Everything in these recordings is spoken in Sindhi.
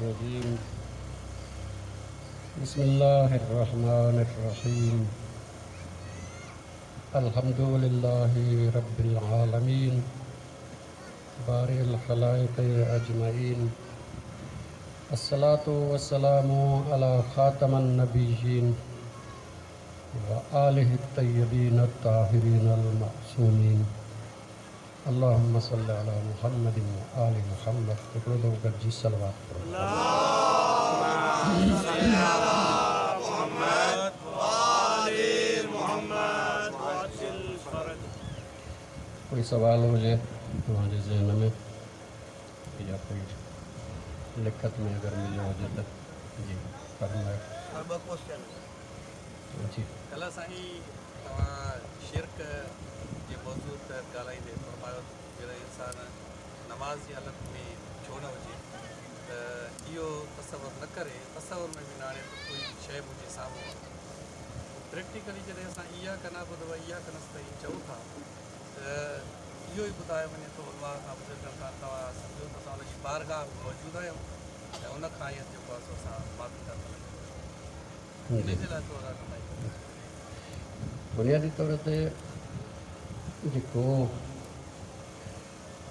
الرجيم بسم الله الرحمن الرحيم الحمد لله رب العالمين بارئ الخلائق اجمعين الصلاة والسلام على خاتم النبيين وآله الطيبين الطاهرين المعصومين اللهم صل علي محمد وآل محمد هڪڙو دفعو گڏجي صلوات پڙهو. اللهم صل علي محمد وآل محمد وعجل فرجهم. ڪوئي سوال هجي توهان جي ذهن ۾ يا ڪوئي لکت ۾ اگر مليو هجي ته جي فرمايو. سر ٻه ڪوسچن. جي. ڪلهه سائين توهان شرڪ جي موضوع تحت ڳالهائيندي فرمايو ته جڏهن انسان نماز جي حالت ۾ ڇو نه هجي ته اهو تصور نه ڪري، تصور ۾ به نه آڻي ته ڪوئي شيء منهنجي سامهون آهي. پريڪٽيڪلي جڏهن اسان اياڪ نعبد و اياڪ نستعين چئون ٿا ته اهو ئي ٻڌايو وڃي ٿو علماء کان بزرگن کان توهان سمجهو ته اسان ان جي بارگاهه ۾ موجود آهيون ۽ ان کان ئي جيڪو آهي سو اسان معافي ٿا طلب ڪريون. ان جي لاء ٿورو رهنمائي ڪريو. بنيادي طور تي جيڪو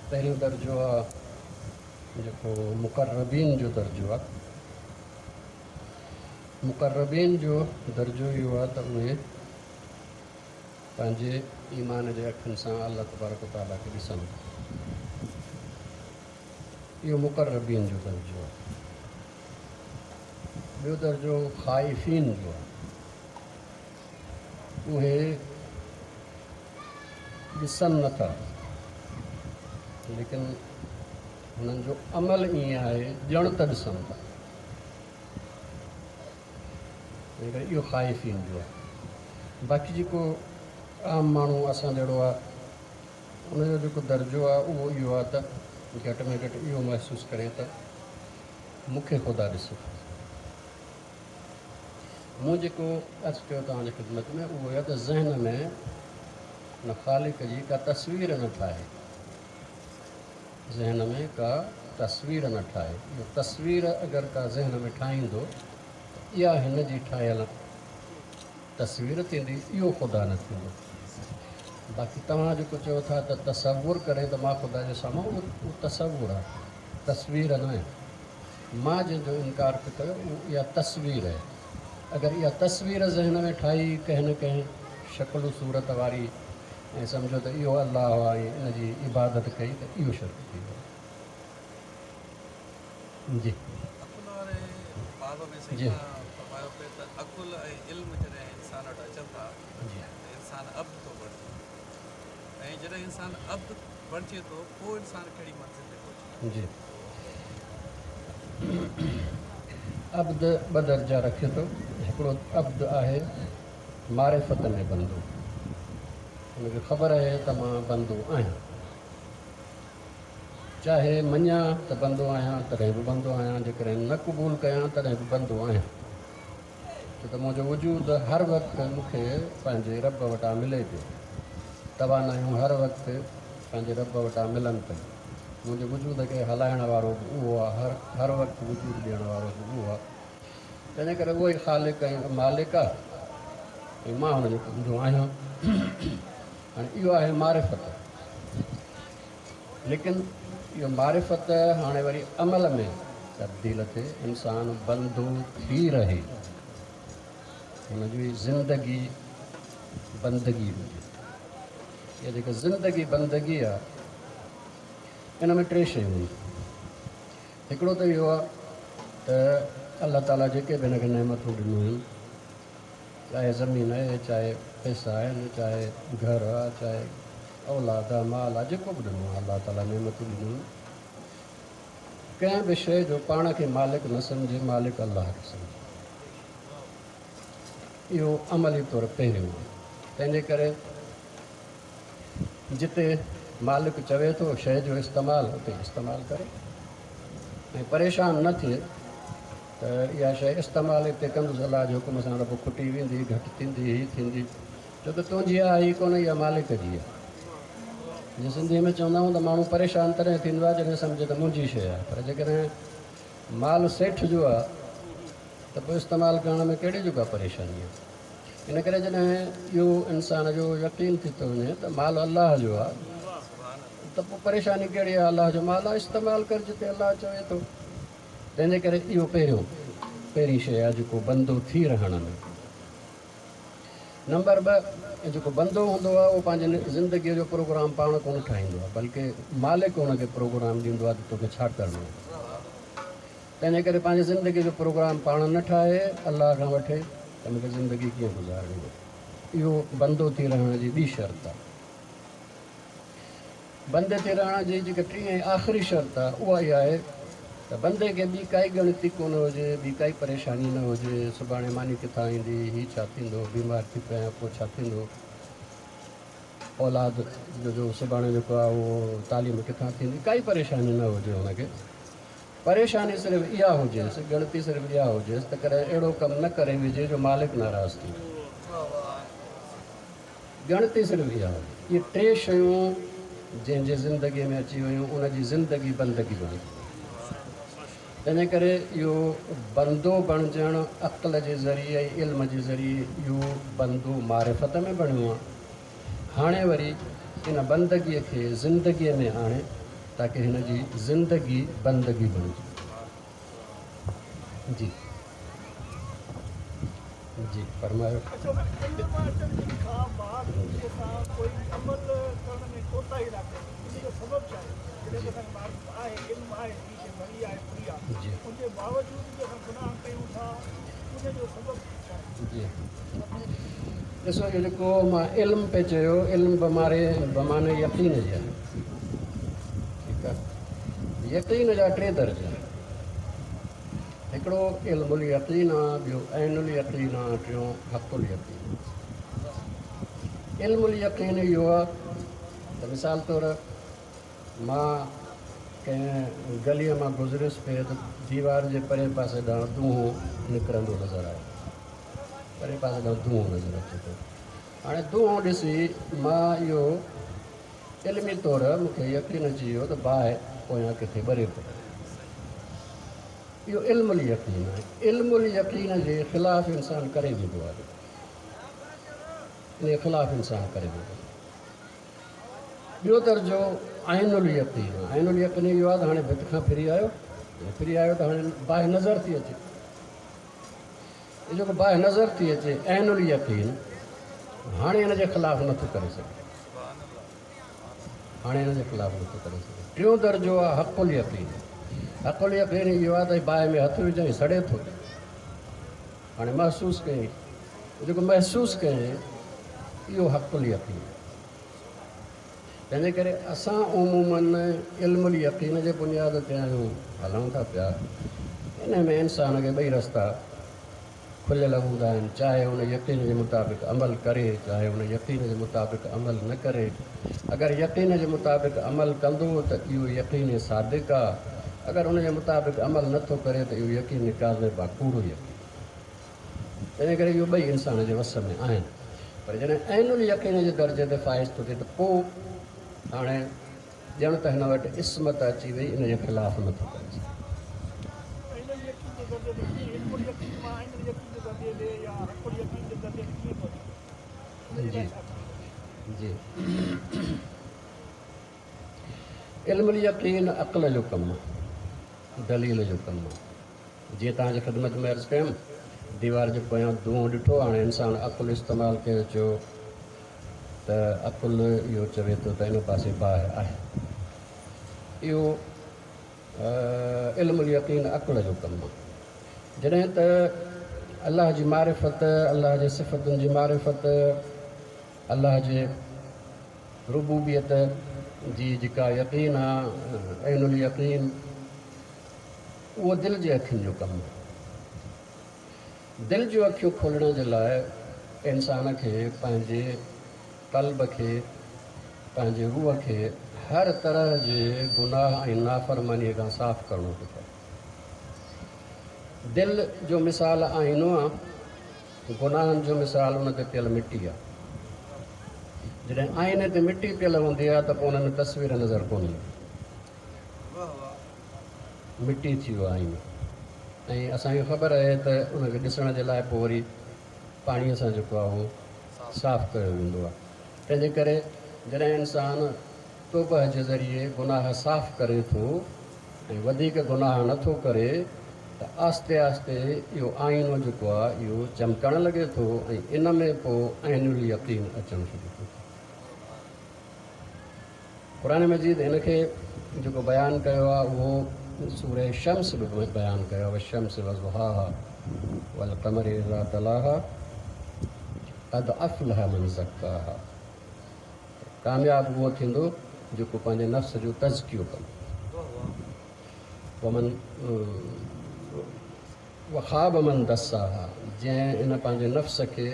پهريون درجو آ جيڪو مقربين جو درجو آ، مقربين جو درجو اهو آ ته اهي پنهنجي ايمان جي اکين سان الله تبارڪ و تعاليٰ کي ڏسن ٿا. اهو مقربين جو درجو آ. ٻيو درجو خائفين جو آ. اهي ڏسن نه ٿا ليڪن هنن جو عمل ائين آهي ڄڻ ته ڏسن ٿا. تنهن ڪري اهو خائفين جو آهي. باقي جيڪو عام ماڻهو اسان جهڙو آهي ان جو جيڪو درجو آهي اهو اهو آهي ته گهٽ ۾ گهٽ اهو محسوس ڪري ته مون کي خدا ڏسي ٿو. مون جيڪو عرض ڪيو توهان جي خدمت ۾ اهو اهو ته ذهن ۾ ان خالق جي ڪا تصوير نه ٺاهي. ذهن ۾ ڪا تصوير نه ٺاهي. اهو تصوير اگر ڪا ذهن ۾ ٺاهيندو ته اها هن جي ٺاهيل تصوير ٿيندي، اهو خدا نه ٿيندو. باقي توهان جيڪو چئو ٿا ته تصور ڪري ته مان خدا جي سامهون، اهو تصور آهي، تصوير نه آهي. مان جنهن جو انڪار پئي ڪيو اهو اها تصوير آهي. اگر اها تصوير ذهن ۾ ٺاهي ڪنهن نه ڪنهن شڪل و صورت واري ۽ سمجهو ته اهو الله آهي ۽ ان جي عبادت ڪئي ته اهو شرڪ ٿي ويو. جي. عقل واري باب ۾ سائين توهان فرمايو پئي ته عقل ۽ علم جڏهن انسان وٽ اچن ٿا ته انسان عبد ٿو بڻجي ۽ جڏهن انسان عبد بڻجي ٿو پوء انسان ڪهڙي منزل تي پهچي ٿو. جي. عبد ٻه درجا رکي ٿو. هڪڙو عبد آهي معرفت ۾ بندو، ان کي خبر آهي ته مان بندو آهيان، چاهي مڃان ته بندو آهيان تڏهن به بندو آهيان، جيڪڏهن نه قبول ڪيان تڏهن به بندو آهيان، ڇو ته منهنجو وجود هر وقت مون کي پنهنجي رب وٽان ملي پيو، توانايون هر وقت پنهنجي رب وٽان ملن پيون، منهنجي وجود کي هلائڻ وارو به اهو آهي، هر وقت وجود ڏيڻ وارو به اهو آهي. تنهن ڪري اهو ئي خالق ۽ مالڪ آهي ۽ مان هن جو بندو آهيان. هاڻي اهو آهي معرفت. ليڪن اهو معرفت هاڻي وري عمل ۾ تبديل ٿئي، انسان بندو ٿي رهي، هن جي زندگي بندگي هجي. اها جيڪا زندگي بندگي آهي ان ۾ ٽي شيون آهن. هڪڙو ته اهو آهي ته الله تعاليٰ جيڪي به هن کي نعمتون ڏنيون آهن، چاهي زمين آهي، چاهي پئسا آهن، چاهي گهر آهي، چاهي اولاد آهي، مال آهي، جيڪو به ڏنو آهي الله تعاليٰ نعمتون ڏنيون آهن، ڪنهن به شيء جو پاڻ کي مالڪ نه سمجهي، مالڪ الله کي سمجهي. اهو عملي طور پهريون آهي. تنهنجي ڪري جتي مالڪ چوي ٿو شيء جو استعمال اتي استعمال ڪري ۽ پريشان نه ٿئي ته اها شيء استعمال اتي ڪندس الله جي حڪم سان رب کٽي ويندي، گهٽ ٿيندي، هي ٿيندي، ڇو ته تنهنجي آهي ئي ڪونه، اها مالڪ جي آهي. جيئن سنڌيء ۾ چوندا آهيون ته ماڻهو پريشان تڏهن ٿيندو آهي جڏهن سمجهي ته منهنجي شيء آهي، پر جيڪڏهن مال سيٺ جو آهي ته پوء استعمال ڪرڻ ۾ ڪهڙي جو ڪا پريشاني آهي؟ ان ڪري جڏهن اهو انسان جو يقين ٿي ٿو وڃي ته مال الله جو آهي ته پوء پريشاني ڪهڙي آهي؟ الله جو مال آهي، استعمال ڪر جتي الله چوي ٿو. تنهن جي ڪري اهو پهريون پهرين شيء آهي جيڪو بندو ٿي رهڻ ۾. نمبر 2، جيڪو بندو هوندو آهي اهو پنهنجي زندگيء جو پروگرام پاڻ ڪونه ٺاهيندو آهي بلڪه مالڪ هن کي پروگرام ڏيندو آهي ته توکي ڇا ڪرڻو آهي. تنهن جي ڪري پنهنجي زندگيء جو پروگرام پاڻ نه ٺاهي الله کان وٺي ته مون کي زندگي ڪيئن گذارڻي آهي. اهو بندو ٿي رهڻ جي ٻي شرط آهي. بندي ٿي رهڻ جي جيڪا ٽين ۽ آخري شرط آهي اها اها آهي ته بندي کي ٻي ڪائي ڳڻتي ڪونه هجي، ٻي ڪائي پريشاني نه هجي، سڀاڻي ماني ڪٿان ايندي، هي ڇا ٿيندو، بيمار ٿي پيان پوء ڇا ٿيندو، اولاد جو جو سڀاڻي جيڪو آهي اهو تعليم ڪٿان ٿيندي، ڪائي پريشاني نه هجي هن کي. پريشاني صرف اها هجيس، ڳڻتي صرف اها هجيس ته ڪڏهن اهڙو ڪم نه ڪري وجهي جو مالڪ ناراض ٿئي. ڳڻتي صرف اها هجي. اهي ٽي شيون جنهن جي زندگيء ۾ اچي ويون، ان جي زندگي بندگي بڻجي وئي. تنهن ڪري اهو بندو بڻجڻ عقل جي ذريعي ۽ علم جي ذريعي اهو بندو معرفت ۾ بڻيو آهي. هاڻي وري ان بندگيء کي زندگيء ۾ آڻي تاڪه هن جي زندگي بندگي بڻجي. جي جي فرمايو. اچو ته علم اچڻ کان بعد به اسان ڪوئي به عمل ڪرڻ ۾ ڪوتاهي ٿا ڪريون ان جو سبب ڇا آهي؟ جڏهن ته اسان کي معرفت آهي، علم آهي، هي شيء بري آهي بري آهي ان جي باوجود به اسان گناهه ڪيون ٿا ان جو سبب ڇا آهي؟ جي ڏسو اهو جيڪو مان علم پئي چيو علم بماري بمعني يقين جي آهي ٺيڪ آهي يقين جا ٽي درجا آهن هڪڙو علم اليقين آ ٻيو عين اليقين آ ٽيون حق اليقين. علم اليقين اهو آ ته مثال طور مان ڪنهن گليء مان گذريس پئي ته ديوار جي پرئين پاسي ڏانهن دونهون نڪرندو نظر آيو. پرئين پاسي ڏانهن دونهون نظر اچي پيو. هاڻي دونهون ڏسي مان اهو علمي طور مون کي يقين اچي ويو ته باهه پويان ڪٿي ٻري پئي. اهو علم اليقين آهي. علم اليقين جي خلاف انسان ڪري ويندو آهي. ان جي خلاف انسان ڪري ويندو آهي. ٻيو درجو عين اليقين آهي. عين اليقين اهو آهي ته هاڻي ڀت کان ڦري آيو، ڦري آيو ته هاڻي باهه نظر ٿي اچي. هي جيڪو باهه نظر ٿي اچي عين اليقين، هاڻي ان جي خلاف نٿو ڪري سگهي. هاڻي ان جي خلاف نٿو ڪري سگهي. ٽيون درجو آهي حق اليقين. حق اليقين اهو آهي ته باهه ۾ هٿ وجهائين سڙي ٿو. هاڻي محسوس ڪيائين، جيڪو محسوس ڪيائين اهو حق اليقين. تنهنجي ڪري اسان عموماً علم اليقين جي بنياد تي آهيون، هلون ٿا پيا. انهي ۾ انسان کي ٻئي رستا کليل هوندا آهن، چاهي ان يقين جي مطابق عمل ڪري، چاهي ان يقين جي مطابق عمل نه ڪري. اگر يقين جي مطابق عمل ڪندو ته اهو يقين صادق آ، اگر ان جي مطابق عمل نه ٿو ڪري ته اهو يقين ڪاذب آ، ڪوڙو يقين. تنهن ڪري اهو ٻئي انسان جي وس ۾ آهن. پر جڏهن عين اليقين جي درجي تي فائز ٿو ٿئي ته پوء هاڻي ڄڻ ته هن وٽ عصمت اچي وئي، ان جي خلاف نه ٿو ڪري سگهي. عين اليقين جي درجي تي ڪيئن علم اليقين مان عين اليقين جي درجي تي يا حق اليقين جي درجي تي ڪيئن پهچي ان جي لاء ڇا ڪرڻ گهرجي؟ جي علم اليقين عقل جو ڪم آهي، دليل جو ڪم آهي. جيئن توهان جي خدمت ۾ عرض ڪيم، ديوار جي پويان دونهون ڏٺو، هاڻي انسان عقل استعمال ڪيو چيو ته عقل اهو چوي ٿو ته ان پاسي باهه آهي. اهو علم اليقين عقل جو ڪم آهي. جڏهن ته الله جي معرفت، الله جي صفتن جي معرفت، الله جي ربوبيت جي جيڪا يقين آهي، عين اليقين، اهو دل جي اکين جو ڪم آهي. دل جون اکيون کولڻ جي لاء انسان کي پنهنجي قلب کي، پنهنجي روح کي هر طرح جي گناهه ۽ نافرمانيء کان صاف ڪرڻو ٿو پوي. دل جو مثال آئينو آهي، گناهن جو مثال ان تي پيل مٽي آهي. جڏهن آئيني تي مٽي پيل هوندي آهي ته پوء ان ۾ تصوير نظر ڪونه ايندي. مٽي ٿي ويو آئينو. ۽ اسان کي خبر آهي ته ان کي ڏسڻ جي لاء پوء وري پاڻيء سان جيڪو آهي اهو صاف ڪيو ويندو آهي. تنهن جي ڪري جڏهن انسان توبهه جي ذريعي گناهه صاف ڪري ٿو ۽ وڌيڪ گناهه نه ٿو ڪري ته آهستي آهستي اهو آئينو جيڪو آهي اهو چمڪڻ لڳي ٿو ۽ ان ۾ پوء عين اليقين اچڻ شروع ٿو ٿئي. قرآن مجيد ان کي جيڪو بيان ڪيو آهي اهو سورة شمس به بيان ڪيو آهي والشمس وضحاها والقمر اذا تلاها قد افلح من زڪاها ڪامياب اهو ٿيندو جيڪو پنهنجي نفس جو تزڪيو ڪندو ومن وخاب من دساها جنهن ان پنهنجي نفس کي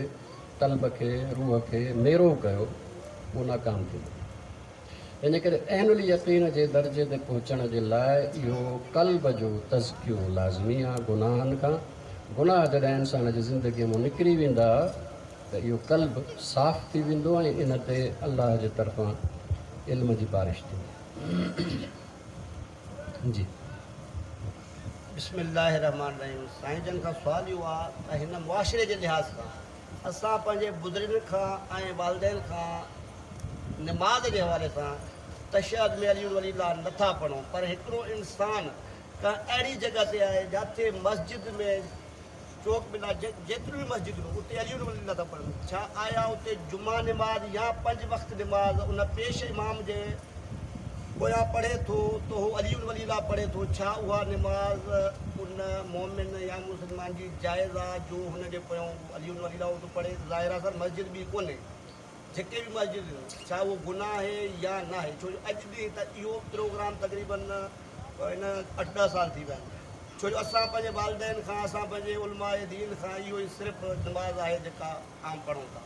قلب کي روح کي ميرو ڪيو اهو ناڪام ٿيندو. تنهنجي ڪري عين اليقين جي درجي تي پهچڻ جي لاء اهو قلب جو تزڪيو لازمي آ گناهن کان. گناهه جڏهن انسان جي زندگيء مان نڪري ويندا ته اهو قلب صاف ٿي ويندو ۽ ان تي الله جي طرفان علم جي بارش ٿيندي. جي. بسم الله الرحمٰن الرحيم سائين جن کان سوال اهو آ ته هن معاشري جي لحاظ کان اسان پنهنجي بزرگن کان ۽ والدين کان نماز جي حوالي سان تشهد ۾ علي ولي الله نه ٿا پڙهون پر هڪڙو انسان ڪنهن اهڙي جڳهه تي آهي جاٿي مسجد ۾ چوڪ بنا جيتريون به مسجدون اتي علي ولي الله ٿا پڙهن ڇا آيا اتي جمعه نماز يا پنج وقت نماز ان پيش امام جي پويان پڙهي ٿو ته هو علي ولي الله پڙهي ٿو، ڇا اها نماز ان مؤمن يا مسلمان جي جائز آ جو هن جي پويان هو علي ولي الله ٿو پڙهي؟ ظاهر آ سر مسجد ٻي ڪونهي، جيڪي به مسجد آهن ڇا اهو گناهه آهي يا ناهي؟ ڇو جو اڄ ڏينهن ته اهو پروگرام تقريبن هن اٺ ڏهه سال ٿي ويا آهن، ڇو جو اسان پنهنجي والدين کان اسان پنهنجي علماء دين کان اهو ئي صرف نماز آهي جيڪا عام پڙهون ٿا.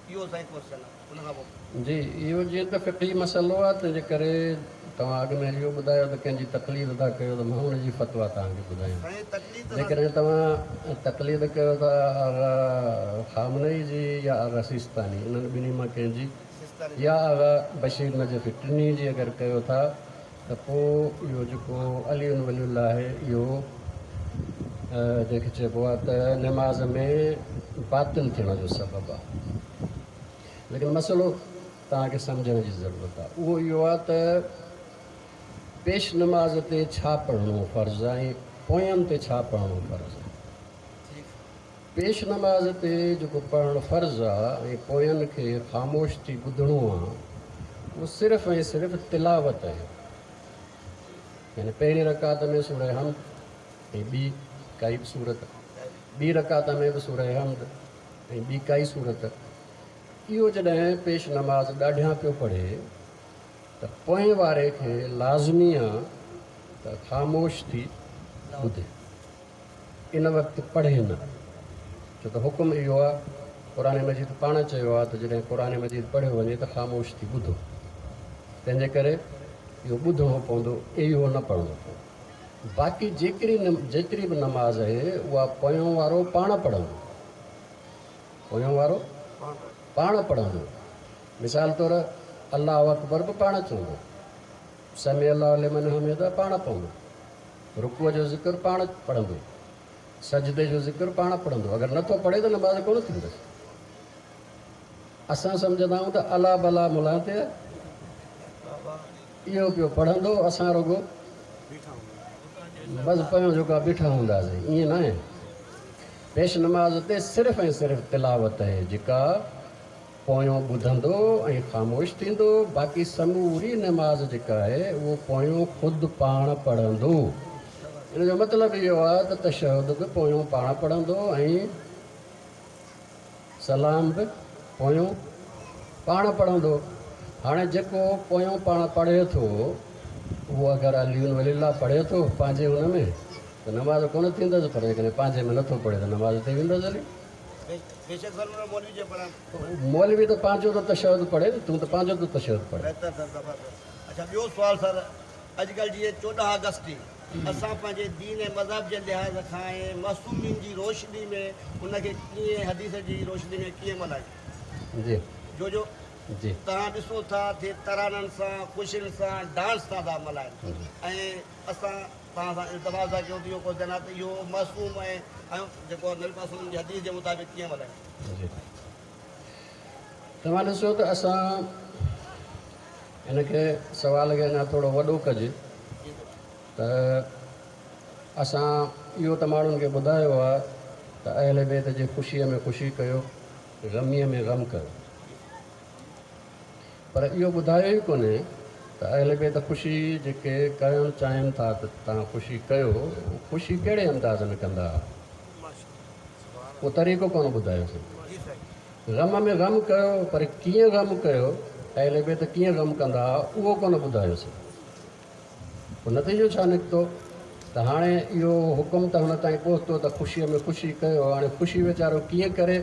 اهو سائين ڪوئسچن آ ان کان پوء. جي اهو جيئن ته فقهي مسئلو آ تنهن جي ڪري توهان اڳ ۾ اهو ٻڌايو ته ڪنهن جي تقليد ٿا ڪيو ته مان ان جي فتويٰ توهان کي ٻڌايان. سائين تقليد ته جيڪڏهن توهان تقليد ڪيو ٿا آغا خامنئي جي يا آغا سيستاني انهن ٻنهي مان ڪنهن جي سيستاني يا آغا بشير نجفي ٽنهي جي اگر ڪيو ٿا ته پوء اهو جيڪو علي ولي الله آهي اهو جنهن کي چئبو آهي ته نماز ۾ باطل ٿيڻ جو سبب آهي. ليڪن مسئلو توهان کي سمجهڻ جي ضرورت آهي اهو اهو آهي ته پيش نماز تي ڇا پڙهڻو فرض آهي ۽ پوين تي ڇا پڙهڻو فرض آهي. پيش نماز تي جيڪو پڙهڻ فرض آ ۽ پوين کي خاموش ٿي ٻڌڻو آ اهو صرف ۽ صرف تلاوت آهي يعني پهرين رڪعت ۾ سوره حمد ۽ ٻي ڪائي به سورت ٻي رڪعت ۾ به سوره حمد ۽ ٻي ڪائي سورت اهو جڏهن پيش نماز ڏاڍيان پيو پڙهي ته پوئين واري کي لازمي آ ته خاموش ٿي ٻڌي. ان وقت پڙهي نه، ڇو ته حڪم اهو آهي، قرآن مجيد پاڻ چيو آهي ته جڏهن قرآن مجيد پڙهيو وڃي ته خاموش ٿي ٻڌو، تنهن جي ڪري اهو ٻڌڻو پوندو، اهو نه پڙهڻو پوندو. باقي جيڪري جيتري به نماز اهي اها پويون وارو پاڻ پڙهندو، پويون وارو پاڻ پڙهندو. مثال طور الله اڪبر به پاڻ چوندو، سمع الله لمن حمده پاڻ پوندو. رڪوع جو ذڪر پاڻ پڙهندو، سجدي جو ذڪر پاڻ پڙهندو، اگر نه ٿو پڙهي ته نماز ڪونه ٿيندس. اسان سمجهندا آهيون ته الا بلا ملان تي آهي، اهو پيو پڙهندو، اسان رڳو بس پيون جھڪا بيٺا هونداسين، ائين ناهي. پيش نماز تي صرف ۽ صرف تلاوت آهي جيڪا پويون ٻڌندو ۽ خاموش ٿيندو، باقي سموري نماز جيڪا آهي اهو پويون خود پاڻ پڙهندو. ان جو مطلب اهو آهي ته تشهد به پويون پاڻ پڙهندو ۽ سلام به پويون پاڻ پڙهندو. هاڻي جيڪو پويون پاڻ پڙهي ٿو اهو اگر علي ولي الله پڙهي ٿو پنهنجي ان ۾ ته نماز ڪونه ٿيندس پر جيڪڏهن پنهنجي ۾ نٿو پڙهي ته نماز ٿي ويندس هلي. بيشڪ سر مون مولوي جي پڙهڻ. مولوي ته پنهنجو ٿو تشهد پڙهي نه تون ته پنهنجو ٿو تشهد پڙهين. بهتر سر زبردست اڇا ٻيو سوال سر اڄ ڪلھ جيئن 14 آگسٽ تي اسان پنهنجي دين ۽ مذهب جي لحاظ کان ۽ معصومين جي روشني ۾ ان کي ڪيئن حديث جي روشني ۾ ڪيئن ملهايون جي جو جو جي توهان ڏسو ٿا ٿي ترانن سان خوشين سان ڊانس سان ٿا ملهائن ۽ اسان. توهان سان التماس ٿا ڪيون ته اهو ڪو جنات اهو معصوم ۽ جيڪو نبي پاڪ صلعم جي حديث جي مطابق ڪيئن ملهايون. جي توهان ڏسو ته اسان ان کي سوال کي اڃا ٿورو وڏو ڪجي ته اسان اهو ته ماڻهن کي ٻڌايو آهي ته اهل بيت جي خوشيء ۾ خوشي ڪيو، غميء ۾ غم ڪيو. پر اهو ٻڌايو ئي ڪونهي ته اهل بيت خوشي جيڪي ڪرڻ چاهين ٿا ته توهان خوشي ڪيو، خوشي ڪهڙي انداز ۾ ڪندا؟ اهو طريقو ڪونه ٻڌايوسين. غم ۾ غم ڪيو پر ڪيئن غم ڪيو، اهل بيت ڪيئن غم ڪندا اهو ڪونه ٻڌايوسين. پوء نتيجو ڇا نڪتو ته هاڻي اهو حڪم ته هن تائين پهتو ته خوشيء ۾ خوشي ڪيو، هاڻي خوشي ويچارو ڪيئن ڪري؟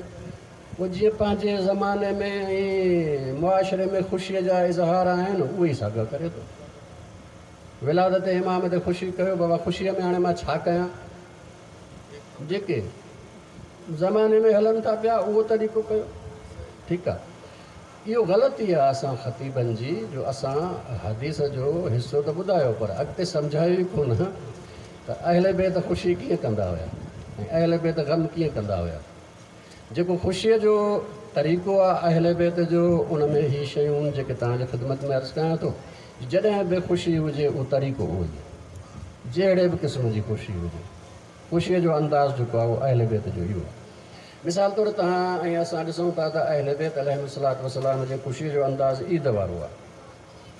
پوء جيئن پنهنجي زماني ۾ ۽ معاشري ۾ خوشيء جا اظهار آهن، اهي ئي ساڳيا ڪري ٿو. ولادت امام تي خوشي ڪيو، بابا خوشيء ۾ هاڻي مان ڇا ڪيان؟ جيڪي زماني ۾ هلن ٿا پيا، اهو طريقو ڪيو. ٺيڪ آ. اهو غلطي آ اسان خطيبن جي جو اسان حديث جو حصو ته ٻڌايو پر اڳتي سمجهايو ئي ڪونه ته اهل بيت خوشي ڪيئن ڪندا هيا ۽ اهل بيت غم ڪيئن ڪندا هيا. جيڪو خوشيء جو طريقو آ اهل بيت جو ان ۾ هي شيون جيڪي توهان جي خدمت ۾ عرض ڪيان ٿو جڏهن به خوشي هجي اهو طريقو اهو ئي جهڙي به قسم جي خوشي هجي خوشيء جو انداز جيڪو آ اهو اهل بيت جو اهو آ. مثال طور توهان ۽ اسان ڏسون ٿا ته اهل بيت عليهم الصلوة والسلام جي خوشيء جو انداز عيد وارو آهي.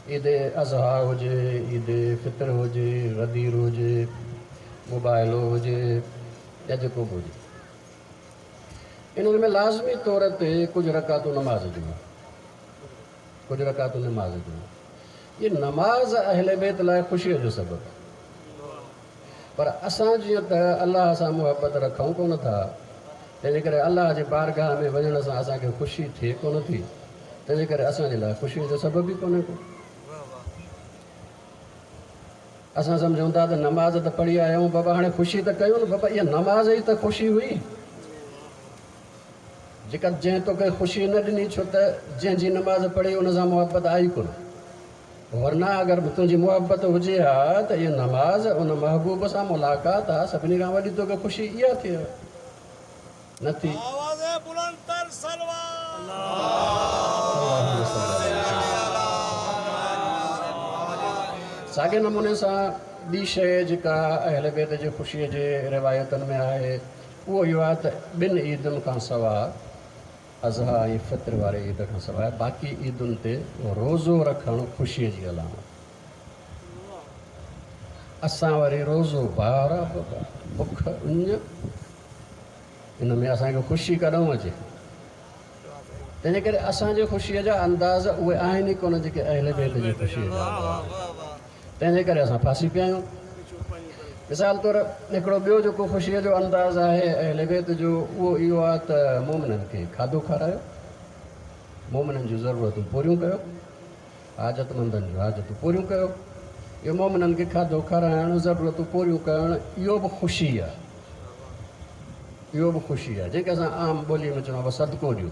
عيد اضحيٰ هجي، عيد فطر هجي، غدير هجي، مباهلو هجي يا جيڪو به هجي. انهن ۾ لازمي طور تي ڪجهه رڪعتون نماز جون آهن. ڪجهه رڪعتون نماز جون آهن. اهي نماز اهل بيت لاء خوشيء جو سبب آهي. پر اسان جيئن ته الله سان محبت رکون ڪونه ٿا، تنهنجي ڪري الله جي بارگاهه ۾ وڃڻ سان اسان کي خوشي ٿئي ڪونه ٿي، تنهنجي ڪري اسان جي لاء خوشيء جو سبب ئي ڪونهي ڪو. اسان سمجهون ٿا ته نماز ته پڙهي آيا آهيون، بابا هاڻي خوشي ته ڪيون نه، بابا اها نماز ئي ته خوشي هئي، جيڪا جنهن توکي خوشي نه ڏني، ڇو ته جنهن جي نماز پڙهي ان سان محبت آئي ڪونه. ورنه اگر تنهنجي محبت هجي ها ته اها نماز ان محبوب سان ملاقات ها، سڀني کان وڏي توکي خوشي اها ٿئي ها. نه ٿي. آواز بلند تر صلوات. اللهم صل علي ساڳئي نموني سان ٻي شيء جيڪا اهل بيت جي خوشيء جي روايتن ۾ آهي اهو اهو آهي ته ٻن عيدن کان سواء اضحيٰ ۽ فطر واري عيد کان سواء باقي عيدن تي روزو رکڻ خوشيء جي علامت. اسان وري روزو بار آ بابا، بک اڃ، ان ۾ اسان کي خوشي ڪڏهن اچي؟ تنهنجي ڪري اسان جي خوشيء جا انداز اهي آهن ئي ڪونه جيڪي اهل بيت جي خوشيء جا انداز آهن. تنهنجي ڪري اسان ڦاسي پيا آهيون. مثال طور هڪڙو ٻيو جيڪو خوشيء جو انداز آهي اهل بيت جو اهو اهو آهي ته مومنن کي کاڌو کارايو، مومنن جون ضرورتون پوريون ڪيو، حاجتمندن جون حاجتون پوريون ڪيو. اهو مومنن کي کاڌو کارائڻ، ضرورتون پوريون ڪرڻ اهو به خوشي آهي. اهو به خوشي آهي جنهن کي اسان عام ٻوليء ۾ چوندا آهيون صدقو ڏيو.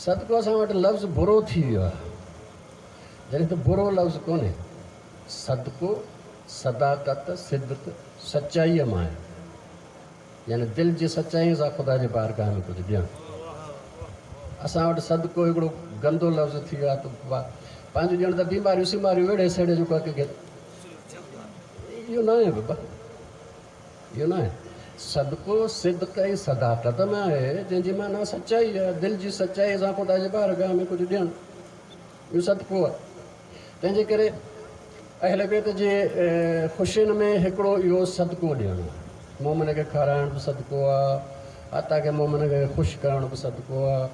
صدقو اسان وٽ لفظ برو ٿي ويو آهي. جڏهن ته برو لفظ ڪونهي. صدقو، صداقت، صدق، سچائيء مان آهي. يعني دل جي سچائيء سان خدا جي بارگاهه ۾ ڪجهه ڏيڻ. اسان وٽ صدقو هڪڙو گندو لفظ ٿي ويو آهي ته پنهنجو ڄڻ ته بيماريون سيماريون ويڙهي سيڙهي جيڪو آهي ڪنهن کي اهو ناهي بابا اهو ناهي. صدقو صدق ۽ صداقت مان آهي جنهن جي معنيٰ سچائي آهي. دل جي سچائيء سان خدا جي بارگاهه ۾ ڪجهه ڏيڻ. اهو صدقو آهي. تنهن جي ڪري اهل بيت جي خوشين ۾ هڪڙو اهو صدقو ڏيڻ آهي. مومن کي کارائڻ به صدقو آهي، حتيٰ ڪه مومن کي خوش ڪرڻ به صدقو آهي،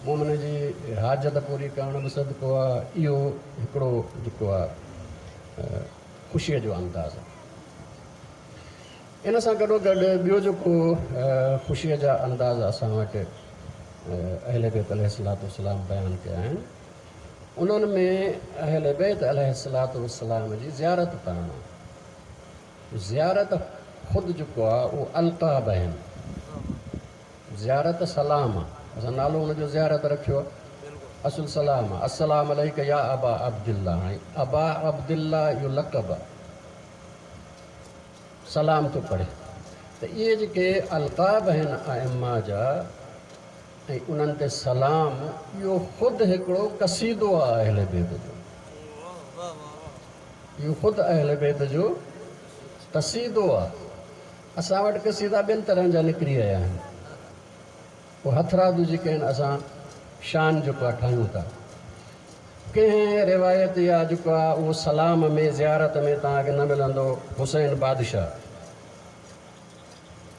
مومن جي حاجت پوري ڪرڻ به صدقو آهي. اهو هڪڙو جيڪو آهي خوشيء جو انداز آهي. ان سان گڏو گڏ ٻيو جيڪو خوشيء جا انداز اسان وٽ اهل بيت عليه الصلوة والسلام بيان ڪيا آهن، انهن ۾ اهل بيت عليه الصلوة والسلام جي زيارت ڪرڻ آهي. زيارت خود جيڪو آهي اهو القاب آهن. زيارت سلام آهي، اسان نالو ان جو زيارت رکيو آهي، اصل سلام آهي. السلام عليڪ يا ابا عبدالله، هاڻي ابا عبدالله اهو لقب آهي. سلام ٿو پڙهي ته اهي جيڪي القاب آهن ائمه جا ۽ انهن تي سلام اهو خود هڪڙو قصيدو آهي اهل بيت جو. اهو خود اهل بيت جو قصيدو آهي. اسان وٽ قصيدا ٻين طرحن جا نڪري آيا آهن. پوء هٿرادو جيڪي آهن اسان شان جيڪو آهي ٺاهيون ٿا. ڪنهن روايت يا جيڪو آهي اهو سلام ۾ زيارت ۾ توهان کي نه ملندو حسين بادشاهه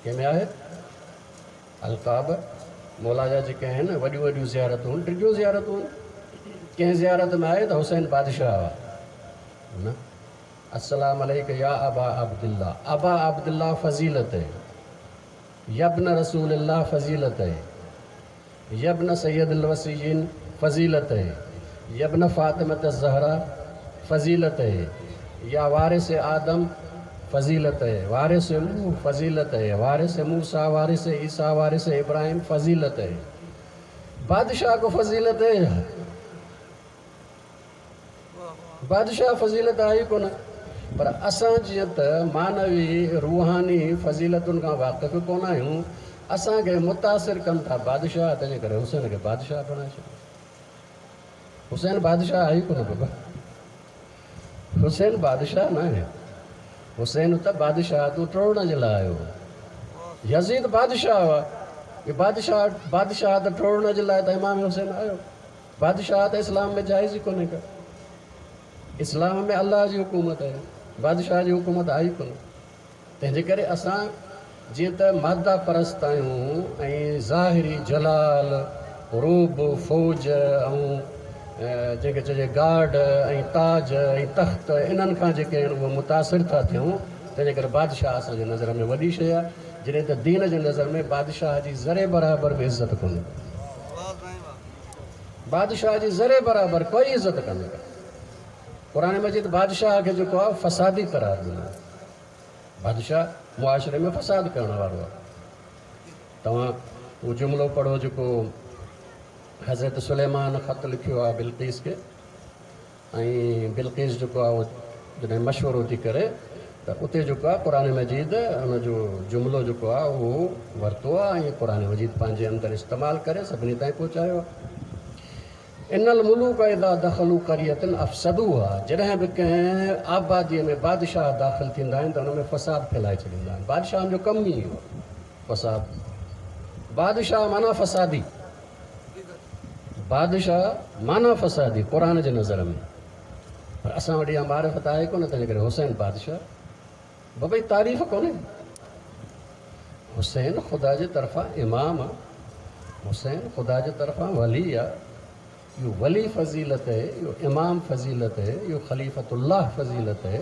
ڪنهن ۾ آهي؟ القاب مولا جا جيڪي آهن وڏيون وڏيون زيارتون ڊگهيون زيارتون ڪنهن زيارت ۾ آهي ته حسين بادشاهه آهي نه السلام عليڪ يا ابا عبدالله ابا عبدالله فضيلت هي يا ابن رسول الله فضيلت هي يا ابن سيد الوصيين فضيلت هي يا ابن فاطمة الزهرا فضيلت هي يا وارث آدم فضيلت هي وارث نوح فضيلت هي وارث موسيٰ وارث عيسيٰ وارث ابراهيم فضيلت هي بادشاهه ڪو فضيلت هي بادشاهه فضيلت آهي ئي ڪونه پر اسان جيئن ته معنوي روحاني فضيلتن کان واقف ڪونه آهيون اسان کي متاثر ڪن ٿا بادشاهه تنهنجي ڪري حسين کي بادشاهه بڻائي ڇڏيو حسين بادشاهه آهي ئي ڪونه بابا حسين بادشاهه نه آهي حسين ته بادشاهه تون ٽوڙڻ جي لاء آيو يزيد بادشاهه هو بادشاهه بادشاهه ته ٽوڙڻ جي لاء ته امام حسين آيو بادشاهه ته اسلام ۾ جائز ئي ڪونهي ڪا. اسلام ۾ الله جي حڪومت آهي، بادشاهه جي حڪومت آهي ئي ڪونه. تنهن جي ڪري اسان جيئن ته ماده پرست آهيون ۽ ظاهري جلال، رعب، فوج ۽ جنهن کي چئجي گارڊ ۽ تاج ۽ تخت انهن کان جيڪي آهن اهي متاثر ٿا ٿيون، تنهن جي ڪري بادشاهه اسان جي نظر ۾ وڏي شيء آهي، جڏهن ته دين جي نظر ۾ بادشاهه جي ذري برابر به عزت ڪونهي. بادشاهه جي ذري برابر ڪوئي عزت ڪانهي ڪا. قرآن مجيد بادشاهه کي جيڪو آهي فسادي قرار ڏنو آهي. بادشاهه معاشري ۾ فساد ڪرڻ وارو آهي. توهان اهو جملو پڙهو جيڪو حضرت سليمان خط لکيو آهي بلقيس کي. ۽ بلقيس جيڪو آهي اهو جڏهن مشورو ٿي ڪري ته اتي جيڪو آهي قرآن مجيد ان جو جملو جيڪو آهي اهو ورتو آهي ۽ قرآن مجيد پنهنجي اندر استعمال ڪري سڀني تائين پهچايو آهي. ان الملوڪ اذا دخلوا قرية افسدوها جڏهن به ڪنهن آباديء ۾ بادشاهه داخل ٿيندا آهن ته ان ۾ فساد ڦهلائي ڇڏيندا آهن. بادشاهن جو ڪم ئي اهو آهي فساد. بادشاهه معنيٰ فسادي. بادشاهه معنيٰ فسادي قرآن جي نظر ۾ پر اسان وٽ اها معرفت آهي ڪونه تنهنجي ڪري حسين بادشاهه بابا هي تعريف ڪونهي حسين خدا جي طرفان امام آ حسين خدا جي طرفان ولي آ اهو ولي فضيلت هي اهو امام فضيلت هي اهو خليفة الله فضيلت هي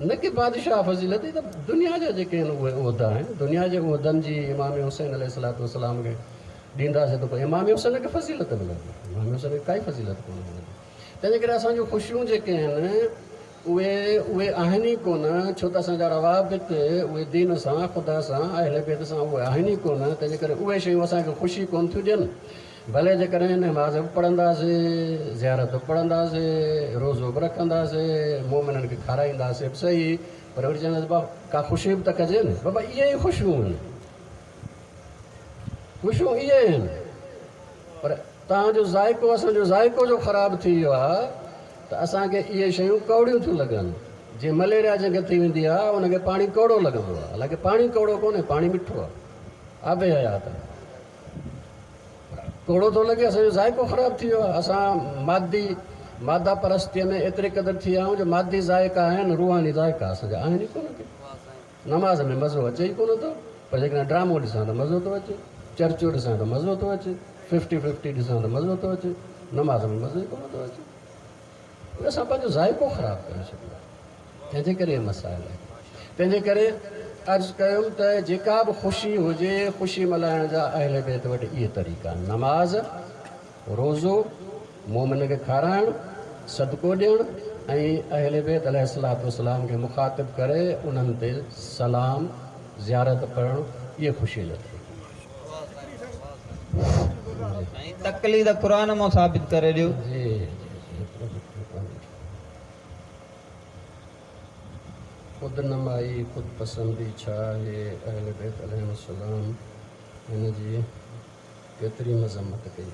نه ڪي بادشاهه فضيلت هي ته دنيا جا جيڪي آهن اهي عهدا آهن دنيا جي عهدن جي امام حسين عليه الصلوة والسلام کي ڏينداسين ته پوء امام حسين کي فضيلت ملندي، امام حسين کي ڪائي فضيلت ڪونه ملندي. تنهنجي ڪري اسان جون خوشيون جيڪي آهن اهي اهي آهن ئي ڪونه، ڇو ته اسان جا روابط اهي دين سان، خدا سان، اهل بيت سان اهي آهن ئي ڪونه، تنهنجي ڪري اهي شيون اسان کي خوشي ڪونه ٿيون ڏين. ڀلي جيڪڏهن نماز به پڙهنداسين، زيارت به پڙهنداسين، روزو به رکنداسين، مومنن کي کارائينداسين به سهي، پر وري چونداسين بابا ڪا خوشي به ته ڪجي نه، بابا اهي ئي خوشيون آهن. خوشيون اهي آهن پر توهان جو ذائقو اسان جو ذائقو جو خراب ٿي ويو آهي ته اسان کي اهي شيون ڪؤڙيون ٿيون لڳن. جيئن مليريا جنهن کي ٿي ويندي آهي ان کي پاڻي ڪؤڙو لڳندو آهي حالانڪه پاڻي ڪؤڙو ڪونهي پاڻي مٺو آهي آب حيات آهي پر ڪؤڙو ٿو لڳي اسان جو ذائقو خراب ٿي ويو آهي اسان مادي ماده پرستيء ۾ ايتري قدر ٿي ويا آهيون جو مادي ذائقا آهن روحاني ذائقا اسان جا آهن ئي ڪونه ڪي. نماز ۾ مزو اچي ئي ڪونه ٿو پر جيڪڏهن ڊرامو ڏسان ته مزو ٿو اچي، چرچو ڏسان ته مزو ٿو اچي، ففٽي ففٽي ڏسان ته مزو ٿو اچي، نماز ۾ مزو ئي ڪونه ٿو اچي. اسان پنهنجو ذائقو خراب ڪري ڇڏيو آهي تنهن جي ڪري اهي مسائل آهن. تنهن جي ڪري عرض ڪيم ته جيڪا به خوشي هجي خوشي ملهائڻ جا اهل بيت وٽ اهي طريقا آهن، نماز، روزو، مومن کي کارائڻ، صدقو ڏيڻ ۽ اهل بيت عليه الصلوة والسلام کي مخاطب ڪري انهن تي سلام، زيارت پڙهڻ اهي خوشي جو طريقو آهي. سائين تقليد قرآن مان ثابت ڪري ڏيو. جي جي. خود نمائي، خود پسندي ڇا آهي؟ اهل بيت عليهم السلام هن جي ڪيتري مذمت ڪئي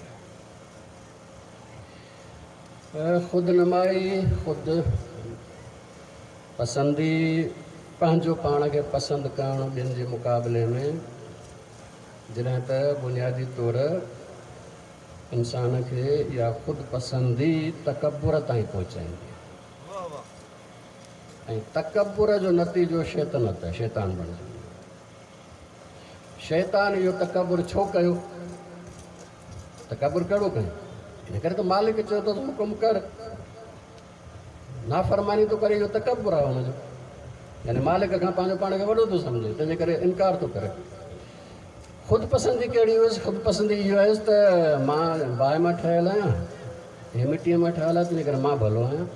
آهي. خود نمائي، خود پسندي، پنهنجو پاڻ کي پسند ڪرڻ ٻين جي مقابلي ۾، جڏهن ته بنيادي طور انسان کي اها خود پسندي تڪبر تائين پهچائيندي آهي ۽ تڪبر جو نتيجو شيطنت آهي، شيطان بڻجي وڃڻ. شيطان اهو تڪبر ڇو ڪيو؟ تڪبر ڪهڙو ڪيو؟ ان ڪري ته مالڪ چيو اٿس حڪم ڪر، نافرماني ٿو ڪري، اهو تڪبر آهي هن جو، يعني مالڪ کان پنهنجو پاڻ کي وڏو ٿو سمجهي، تنهنجي ڪري انڪار ٿو ڪري. خود پسندي ڪهڙي هيس؟ خود پسندي اهو هيس ته مان باهه مان ٺهيل آهيان، هي مٽيء مان ٺهيل آهي، تنهنجي ڪري مان ڀلو آهيان.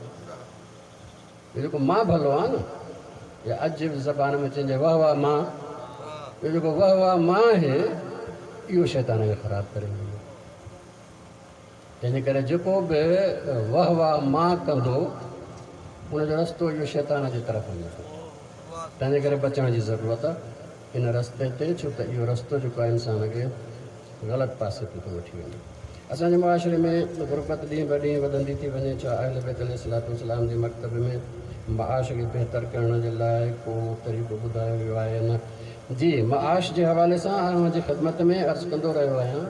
اهو جيڪو مان ڀلو آهيان نه، يا اڄ جي زبان ۾ چئجي واه واه مان، اهو جيڪو واه واه مان آهي، اهو شيطان کي خراب ڪري ويندو. تنهنجي ڪري جيڪو به واه واه مان ڪندو، ان جو رستو اهو شيطان جي طرف وڃي ٿو. تنهنجي ڪري بچڻ جي ضرورت آهي ان رستي تي، ڇو ته اهو رستو جيڪو آهي انسان کي غلط پاسي تي ٿو وٺي وڃي. اسان جي معاشري ۾ غربت ڏينهن به ڏينهن وڌندي ٿي وڃي. ڇا اهل بيت عليه الصلوة والسلام جي مڪتب ۾ معاش کي بهتر ڪرڻ جي لاء ڪو طريقو ٻڌايو ويو آهي يا نه؟ جي، معاش جي حوالي سان آء اوهان جي خدمت ۾ عرض ڪندو رهيو آهيان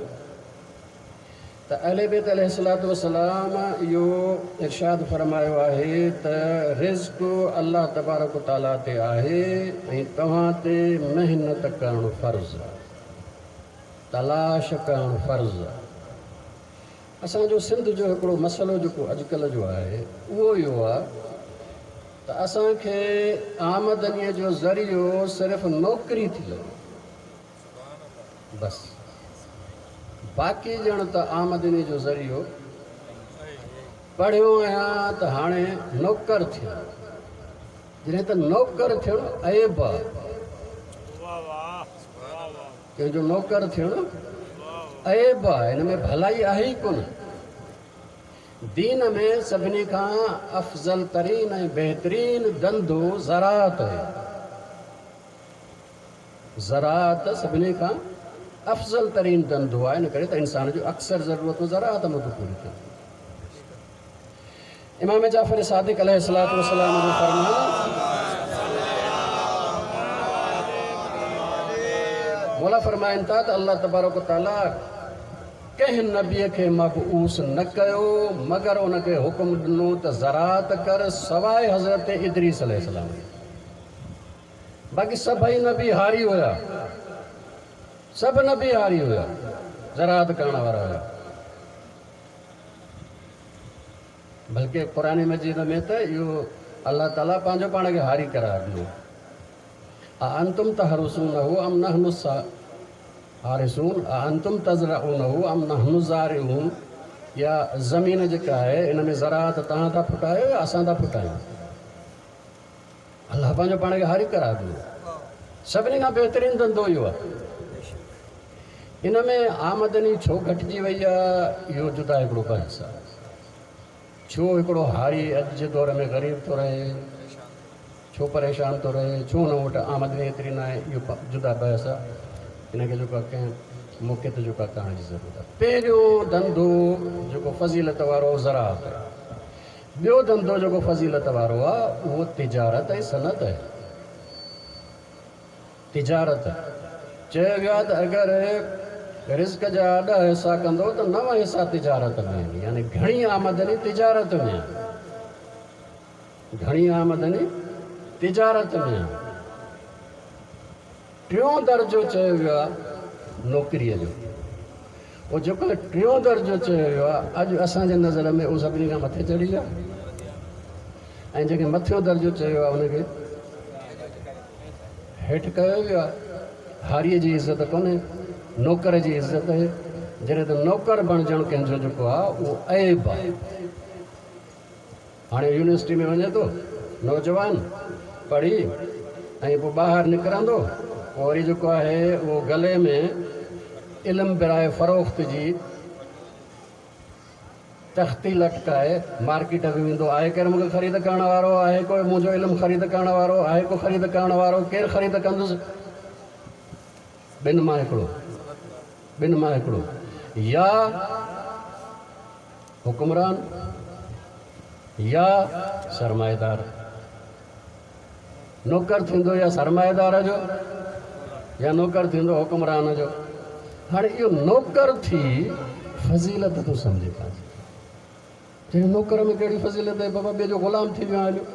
ته اهل بيت عليه الصلوة والسلام اهو ارشاد فرمايو آهي ته رزق الله تبارڪ و تعاليٰ تي آهي ۽ توهان تي محنت ڪرڻ فرض آهي، تلاش ڪرڻ فرض آهي. اسان جو سنڌ جو هڪڙو مسئلو جيڪو اڄڪلهه جو آهي اهو اهو آهي ته اسان کي آمدنيء جو ذريعو صرف نوڪري ٿي لڳي. بس باقي ڄڻ ته آمدني جو ذريعو پڙهيو آهيان ته هاڻي نوڪر ٿيان، جڏهن ته نوڪر ٿيڻ عيب آ. ڪنهن جو نوڪر ٿيڻ عيب آ، ان ۾ ڀلائي آهي ئي ڪونه. دين ۾ سڀني کان افضل ترين ۽ بهترين ڌنڌو زراعت آهي. زراعت سڀني کان افضل ترين ڌنڌو آهي، ان ڪري ته انسان جون اڪثر ضرورتون زراعت مان ٿيون پوريون ٿين. امام جعفر صادق عليه الصلوة والسلام جو فرمان مولا فرمائن ٿا ته الله تبارڪ و تعالي ڪنهن نبي کي مبعوث نه ڪيو مگر ان کي حڪم ڏنو ته زراعت ڪر سواء حضرت ادريس عليه السلام جي. باقي سڀئي نبي هاري هيا. سڀ نبي هاري هيا، زراعت ڪرڻ وارا هيا. بلڪه قرآن مجيد ۾ ته اهو الله تعاليٰ پنهنجو پاڻ کي هاري قرار ڏنو. اانتم تحرثونه ام نحن الحارثون اانتم تزرعونه ام نحن الزارعون يا زمين جيڪا آهي ان ۾ زراعت توهان ٿا ڦٽايو يا اسان ٿا ڦٽايون؟ الله پنهنجو پاڻ کي هاري قرار ڏنو. سڀني کان بهترين ڌنڌو اهو آهي. ان ۾ آمدني ڇو گهٽجي وئي آهي اهو جدا هڪڙو بحث آهي. ڇو هڪڙو هاري اڄ جي دور ۾ غريب ٿو رهي، ڇو پريشان ٿو رهي، ڇو هن وٽ آمدني ايتري ناهي اهو جدا بحث آهي. ان کي جيڪو آهي ڪنهن موقعي تي جيڪو آهي ڪرڻ جي ضرورت آهي. پهريون ڌنڌو جيڪو فضيلت وارو زراعت آهي. ٻيو ڌنڌو جيڪو فضيلت وارو آ اهو تجارت ۽ صنعت آهي. تجارت، چيو ويو آهي ته اگر رزق جا ڏهه حصا ڪندو ته نو حصا تجارت ۾ آهن يعني گهڻي آمدني تجارت ۾ آهي. گهڻي آمدني تجارت ۾ آهي. ٽيون درجو چيو ويو آهي نوڪريء جو. اهو جيڪو ٽيون درجو چيو ويو آهي اڄ اسان جي نظر ۾ اهو سڀني کان مٿي چڙهي ويو آهي ۽ جنهن کي مٿيون درجو چيو ويو آهي ان کي هيٺ ڪيو ويو آهي. هاريء جي عزت ڪونهي، نوڪر جي عزت آهي. جڏهن ته نوڪر بڻجڻ ڪنهن جو جيڪو آهي اهو عيب آهي. هاڻي يونيورسٽي ۾ وڃي ٿو نوجوان پڙهي ۽ پوء ٻاهر نڪرندو پوء وري جيڪو آهي اهو گلي ۾ علم براء فروخت جي تختي لٽڪائي مارڪيٽ ۾ ويندو آهي ڪير مون کي خريد ڪرڻ وارو آهي ڪو منهنجو علم خريد ڪرڻ وارو آهي ڪو خريد ڪرڻ وارو ڪير خريد ڪندس ٻن مان هڪڙو ٻن مان هڪڙو يا حڪمران يا سرمائيدار نوڪر ٿيندو يا سرمائيدار جو يا نوڪر ٿيندو حڪمران جو. هاڻي اهو نوڪر ٿي فضيلت ٿو سمجهي پنهنجي. چيو نوڪر ۾ ڪهڙي فضيلت آهي بابا ٻئي جو غلام ٿي ويو آهيان.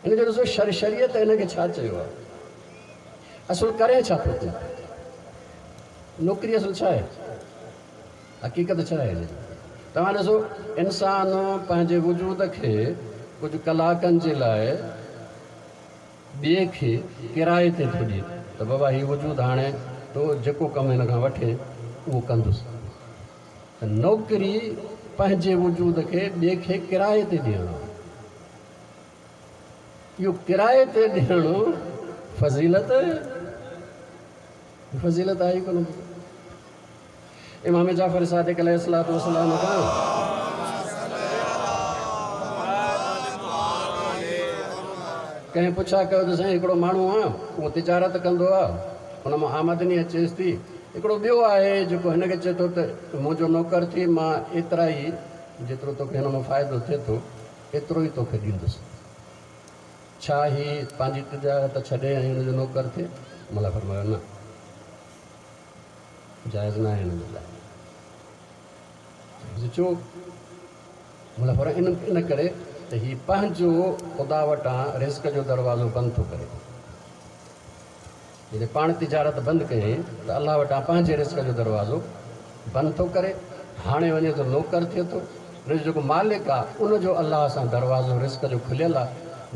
ان جو ڏسو شر شريعت ان کي ڇا چيو آهي. اصل ڪرين ڇا ٿو تون؟ نوڪري اصل ڇا آهي؟ حقيقت ڇا آهي ان جي؟ توهان ڏسو انسان پنهنجي وجود کي ڪجهه ڪلاڪن جي لاء ٻئي کي ڪرائي تي ٿو ڏئي ته بابا هي وجود هاڻي تو جيڪو ڪم هن کان وٺين اهو ڪندس. ته نوڪري پنهنجي وجود کي ٻئي کي ڪرائي تي ڏيڻ آهي. اهو ڪرائي تي ڏيڻ فضيلت فضيلت آهي ئي ڪونه. امام جعفر صادق عليه الصلوة والسلام کان ڪنهن پڇا ڪيو ته سائين هڪڙو ماڻهو آ اهو تجارت ڪندو آ ان مان آمدني اچيس ٿي هڪڙو ٻيو آهي جيڪو هن کي چئي ٿو ته منهنجو نوڪر ٿي مان ايترا ئي جيترو توکي هن مان فائدو ٿئي ٿو ايترو ئي توکي ڏيندس ڇا هي پنهنجي تجارت ڇڏي ۽ هن جو نوڪر ٿئي؟ ملا فرمايو نه جائز ناهي هن جي لاء. چيس ڇو؟ ملا فرمايو ان ان ڪري ته هي پنهنجو خدا وٽان رزق جو دروازو بند ٿو ڪري. جڏهن پاڻ تجارت بند ڪيائين ته الله وٽان پنهنجي رزق جو دروازو بند ٿو ڪري. هاڻي وڃي ٿو نوڪر ٿئي ٿو. ان جو جيڪو مالڪ آ ان جو الله سان دروازو رزق جو کليل آ.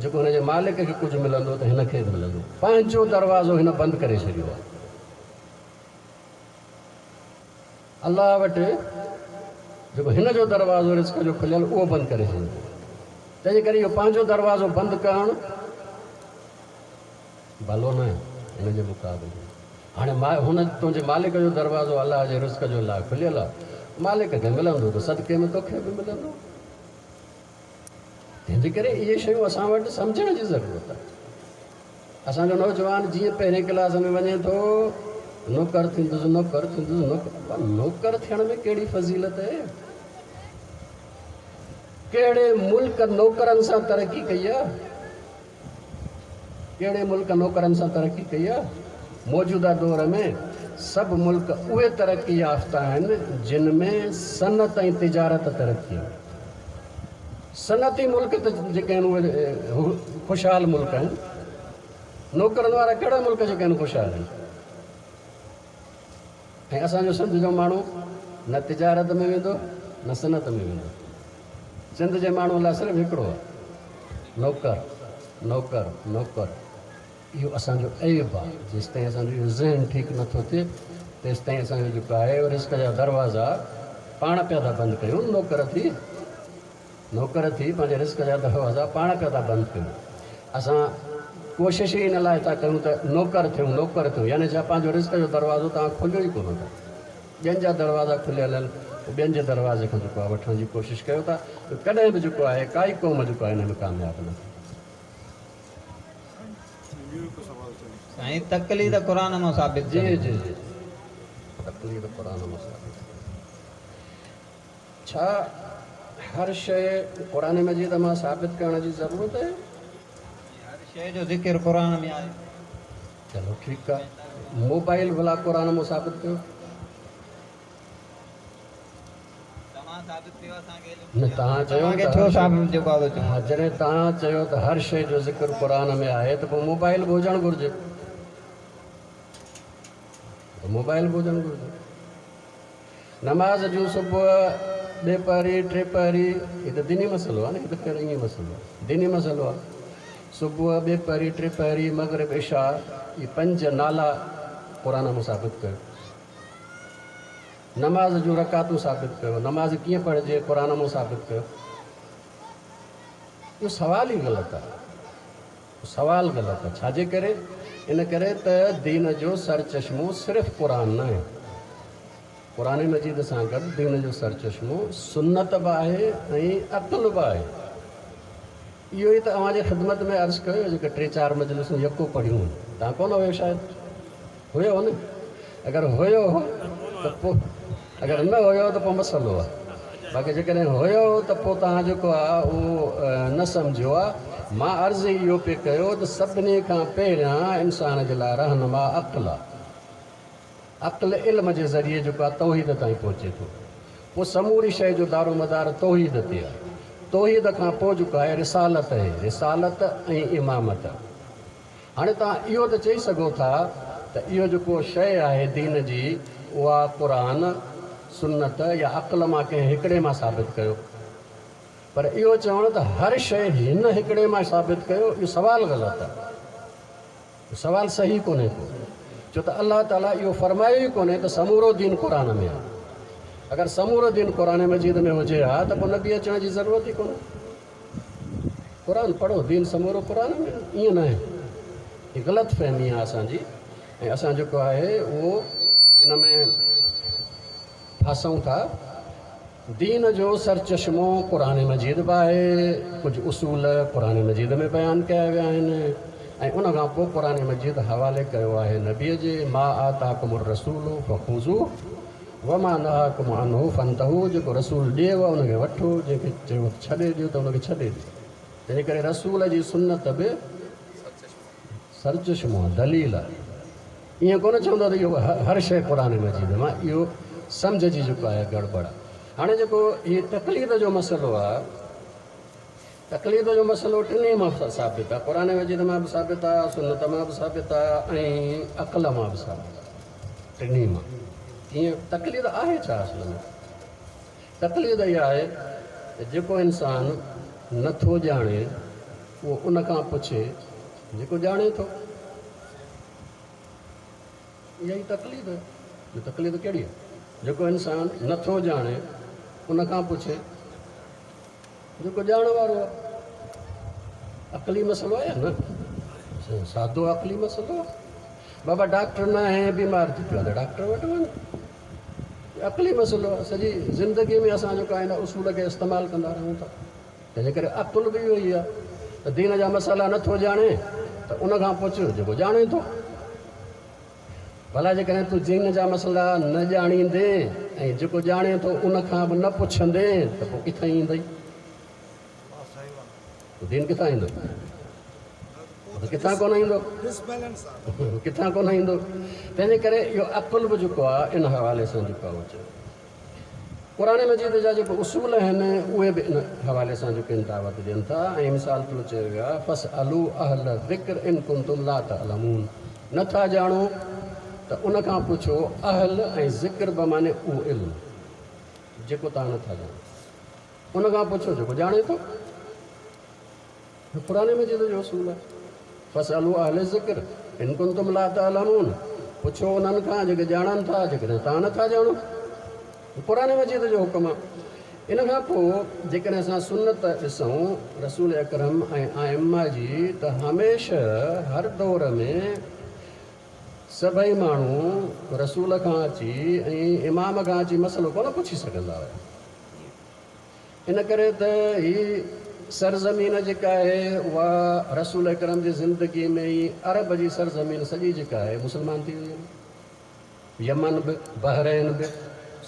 جيڪو هن جي مالڪ کي ڪجهه ملندو ته هن کي به ملندو. پنهنجو دروازو هن بند ڪري ڇڏيو آ. الله وٽ جيڪو هن جو دروازو رزق جو کليل اهو بند ڪري ڇڏيو. تنهنجي ڪري اهو پنهنجو دروازو بند ڪرڻ ڀلو نه هن جي مقابلي ۾. هاڻي هن تنهنجي مالڪ جو دروازو الله جي رزق جو لاء کليل آ. مالڪ کي ملندو ته صدقي ۾ توکي به ملندو. تنهن جي ڪري اهي شيون اسان وٽ سمجهڻ جي ضرورت آهي. اسان جو نوجوان جيئن پهرين ڪلاس ۾ وڃي ٿو نوڪر ٿيندس نوڪر ٿيندس نوڪر نوڪر ٿيڻ ۾ ڪهڙي فضيلت آهي؟ ڪهڙي ملڪ نوڪرن سان ترقي ڪئي آهي؟ ڪهڙي ملڪ نوڪرن سان ترقي ڪئي آهي؟ موجوده دور ۾ سڀ ملڪ اهي ترقي يافته آهن جن ۾ صنعت ۽ تجارت ترقي آهي. صنعتي ملڪ ته جيڪي آهن اهي خوشحال ملڪ آهن. نوڪرن وارا ڪهڙا ملڪ جيڪي آهن خوشحال آهن؟ ۽ اسان جو سنڌ جو ماڻهو نه تجارت ۾ ويندو نه صنعت ۾ ويندو. سنڌ جي ماڻهو لاء صرف هڪڙو آهي نوڪر نوڪر نوڪر. اهو اسان جو عيب آهي. جيستائين اسان جو اهو ذهن ٺيڪ نه ٿو ٿئي تيستائين اسان جو جيڪو آهي رزق جا دروازا پاڻ پيا ٿا بند ڪيون. نوڪر ٿي نوڪر ٿي پنهنجي رزق جا دروازا پاڻ پيا ٿا بند ڪيون. اسان ڪوشش ئي ان لاء ٿا ڪيون ته نوڪر ٿيون نوڪر ٿيون يعني ڇا پنهنجو رزق جو دروازو توهان کوليو ئي ڪونه ٿا. ٻين جا دروازا کليل آهن پوء ٻين جي دروازي کان جيڪو آهي وٺڻ جي ڪوشش ڪيو ٿا ته ڪڏهن به جيڪو آهي ڪائي قوم جيڪو آهي ان ۾ ڪامياب نه ٿيندي. سائين تقليد قرآن مان ثابت جي جي جي تقليد قرآن مان ثابت ڇا هر شيء قرآن مجيد مان ثابت ڪرڻ جي ضرورت آهي؟ هر شيء جو ذڪر قرآن ۾ آهي. چلو ٺيڪ آ موبائل ڀلا قرآن مون ثابت ڪيو. توهان ثابت ڪيو اسان کي علم نه توهان چيو توهان کي ته ڇو هر شيء ثابت جيڪو آ سو چئون. ها جڏهن توهان چيو ته هر شيء جو ذڪر قرآن ۾ آهي ته پوء موبائل به هجڻ گهرجي ته موبائل به هجڻ گهرجي. نماز جون صبح ٻي پهري ٽي پهري هي ته ديني مسئلو آهي نه هي ته خير ائين مسئلو آهي ديني مسئلو آهي صبح ٻي پهري ٽي پهري مغرب عشاء هي پنج نالا قرآن مون ثابت ڪيو نماز جون رڪعتون ثابت ڪيو نماز ڪيئن پڙهجي قرآن مون ثابت ڪيو اهو سوال ئي غلط آهي سوال غلط آهي ڇاجي ڪري ان ڪري ته دين جو سرچشمو صرف قرآن نه آهي. قرآن مجيد سان گڏ دين جو سرچشمو سنت به آهي ۽ عقل به آهي. اهو ئي ته اوهان جي خدمت ۾ عرض ڪيو جيڪي ٽي چار مجلسون يڪو پڙهيون هيون. توهان ڪونه هيو شايد؟ هيو نه؟ اگر هيو ته پوء اگر نه هيو ته پوء مسئلو آهي. باقي جيڪڏهن هيو ته پوء توهان جيڪو آهي اهو نه سمجهيو آهي. مان عرض ئي اهو پئي ڪيو ته سڀني کان پهريان انسان جي لاء رهنما عقل آهي. عقل علم جي ذريعي جيڪو آهي توحيد تائين پهچي ٿو. پوء سموري شيء جو دارومدار توحيد تي آهي. توحيد کان پوء جيڪو آهي رسالت اهي، رسالت ۽ امامت. هاڻي توهان اهو ته چئي سگهو ٿا ته اهو جيڪو شيء آهي دين جي اها قرآن، سنت يا عقل مان ڪنهن هڪڙي مان ثابت ڪيو. پر اهو چوڻ ته هر شيء هن هڪڙي مان ثابت ڪيو اهو سوال غلط آهي. سوال صحيح ڪونهي ڪو، ڇو ته الله تعاليٰ اهو فرمايو ئي ڪونهي ته سمورو دين قرآن ۾ آهي. اگر سمورو دين قرآن مجيد ۾ هجي ها ته پوء نبي اچڻ جي ضرورت ئي ڪونهي. قرآن پڙهو، دين سمورو قرآن ۾ آهي، ائين ناهي. هي غلط فهمي آهي اسان جي ۽ اسان جيڪو آهي اهو ان ۾ ڦاسون ٿا. دين جو سرچشمو قرآن مجيد به آهي، ڪجهه اصول قرآن مجيد ۾ بيان ڪيا ويا آهن ۽ ان کان پوء قرآن مجيد حوالي ڪيو آهي نبيء جي، ما آتاڪم الرسول فخذوه وما نهاڪم عنه فانتهوا جيڪو رسول ڏيو ان کي وٺو، جنهن کي چيو ته ڇڏي ڏيو ته ان کي ڇڏي ڏيو. تنهن ڪري رسول جي سنت به سرچشمو آهي، دليل آهي. ائين ڪونه چوندو ته اهو هر شيء قرآن مجيد مان، اهو سمجهه جي جيڪو آهي گڙٻڙ آهي. هاڻي جيڪو هي تقليد جو مسئلو آهي، تقليد جو مسئلو ٽنهي مان ثابت آهي، قرآن مجيد مان به ثابت آهي، سنت مان به ثابت آهي ۽ عقل مان به ثابت آهي، ٽنهي مان. ڪيئن تقليد آهي ڇا اصل ۾؟ تقليد اها آهي ته جيڪو انسان نٿو ڄاڻي اهو ان کان پڇي جيڪو ڄاڻي ٿو. اها ئي تقليد آهي. جو تقليد ڪهڙي آهي؟ جيڪو انسان نه ٿو ڄاڻي ان کان پڇي جيڪو ڄاڻ وارو آهي. عقلي مسئلو آهي يا نه؟ سادو عقلي مسئلو آهي. بابا ڊاڪٽر نه آهي بيمار ٿي پيو آهي ته ڊاڪٽر وٽ وڃ. عقلي مسئلو آهي. سڄي زندگي ۾ اسان جيڪو آهي ان اصول کي استعمال ڪندا رهون ٿا. تنهنجي ڪري عقل به اهو ئي آهي ته دين جا مسئلا نه ٿو ڄاڻي ته ان کان پڇ جيڪو ڄاڻي ٿو. ڀلا جيڪڏهن تون دين جا مسئلا نه ڄاڻيندين ۽ جيڪو ڄاڻي ٿو ان کان به نه پڇندين ته پوء ڪٿان ايندئي؟ دين ڪٿان ايندو؟ ڪٿان ڪونه ايندو، ڪٿان ڪونه ايندو. تنهنجي ڪري اهو عقل به جيڪو آهي ان حوالي سان جيڪو آهي اهو چيو. قرآن مجيد جا جيڪي اصول آهن اهي به ان حوالي سان جيڪي آهن دعوت ڏين ٿا ۽ مثال طور چيو ويو آهي فاسألوا اهل الذڪر ان ڪنتم لا تعلمون نه ٿا ڄاڻو ته ان کان پڇو اهل ۽ ذڪر بمعني اهو علم جيڪو توهان نه ٿا ڄاڻو ان کان پڇو جيڪو ڄاڻي ٿو. هي قرآن مجيد جو اصول آهي. فاسألوا اهل الذڪر ان ڪنتم لا تعلمون پڇو انهن کان جيڪي ڄاڻن ٿا جيڪڏهن توهان نه ٿا ڄاڻو. هي قرآن مجيد جو حڪم آهي. ان کان پوء جيڪڏهن اسان سنت ڏسون رسول اڪرم ۽ ائمه جي ته هميشه هر دور ۾ سڀئي ماڻهو رسول کان اچي ۽ امام کان اچي مسئلو ڪونه پڇي سگهندا هيا. ان ڪري ته هي سرزمين جيڪا آهي اها رسول اڪرم جي زندگي ۾ ئي عرب جي سرزمين سڄي جيڪا آهي مسلمان ٿي وئي هئي. يمن به، بحرين به،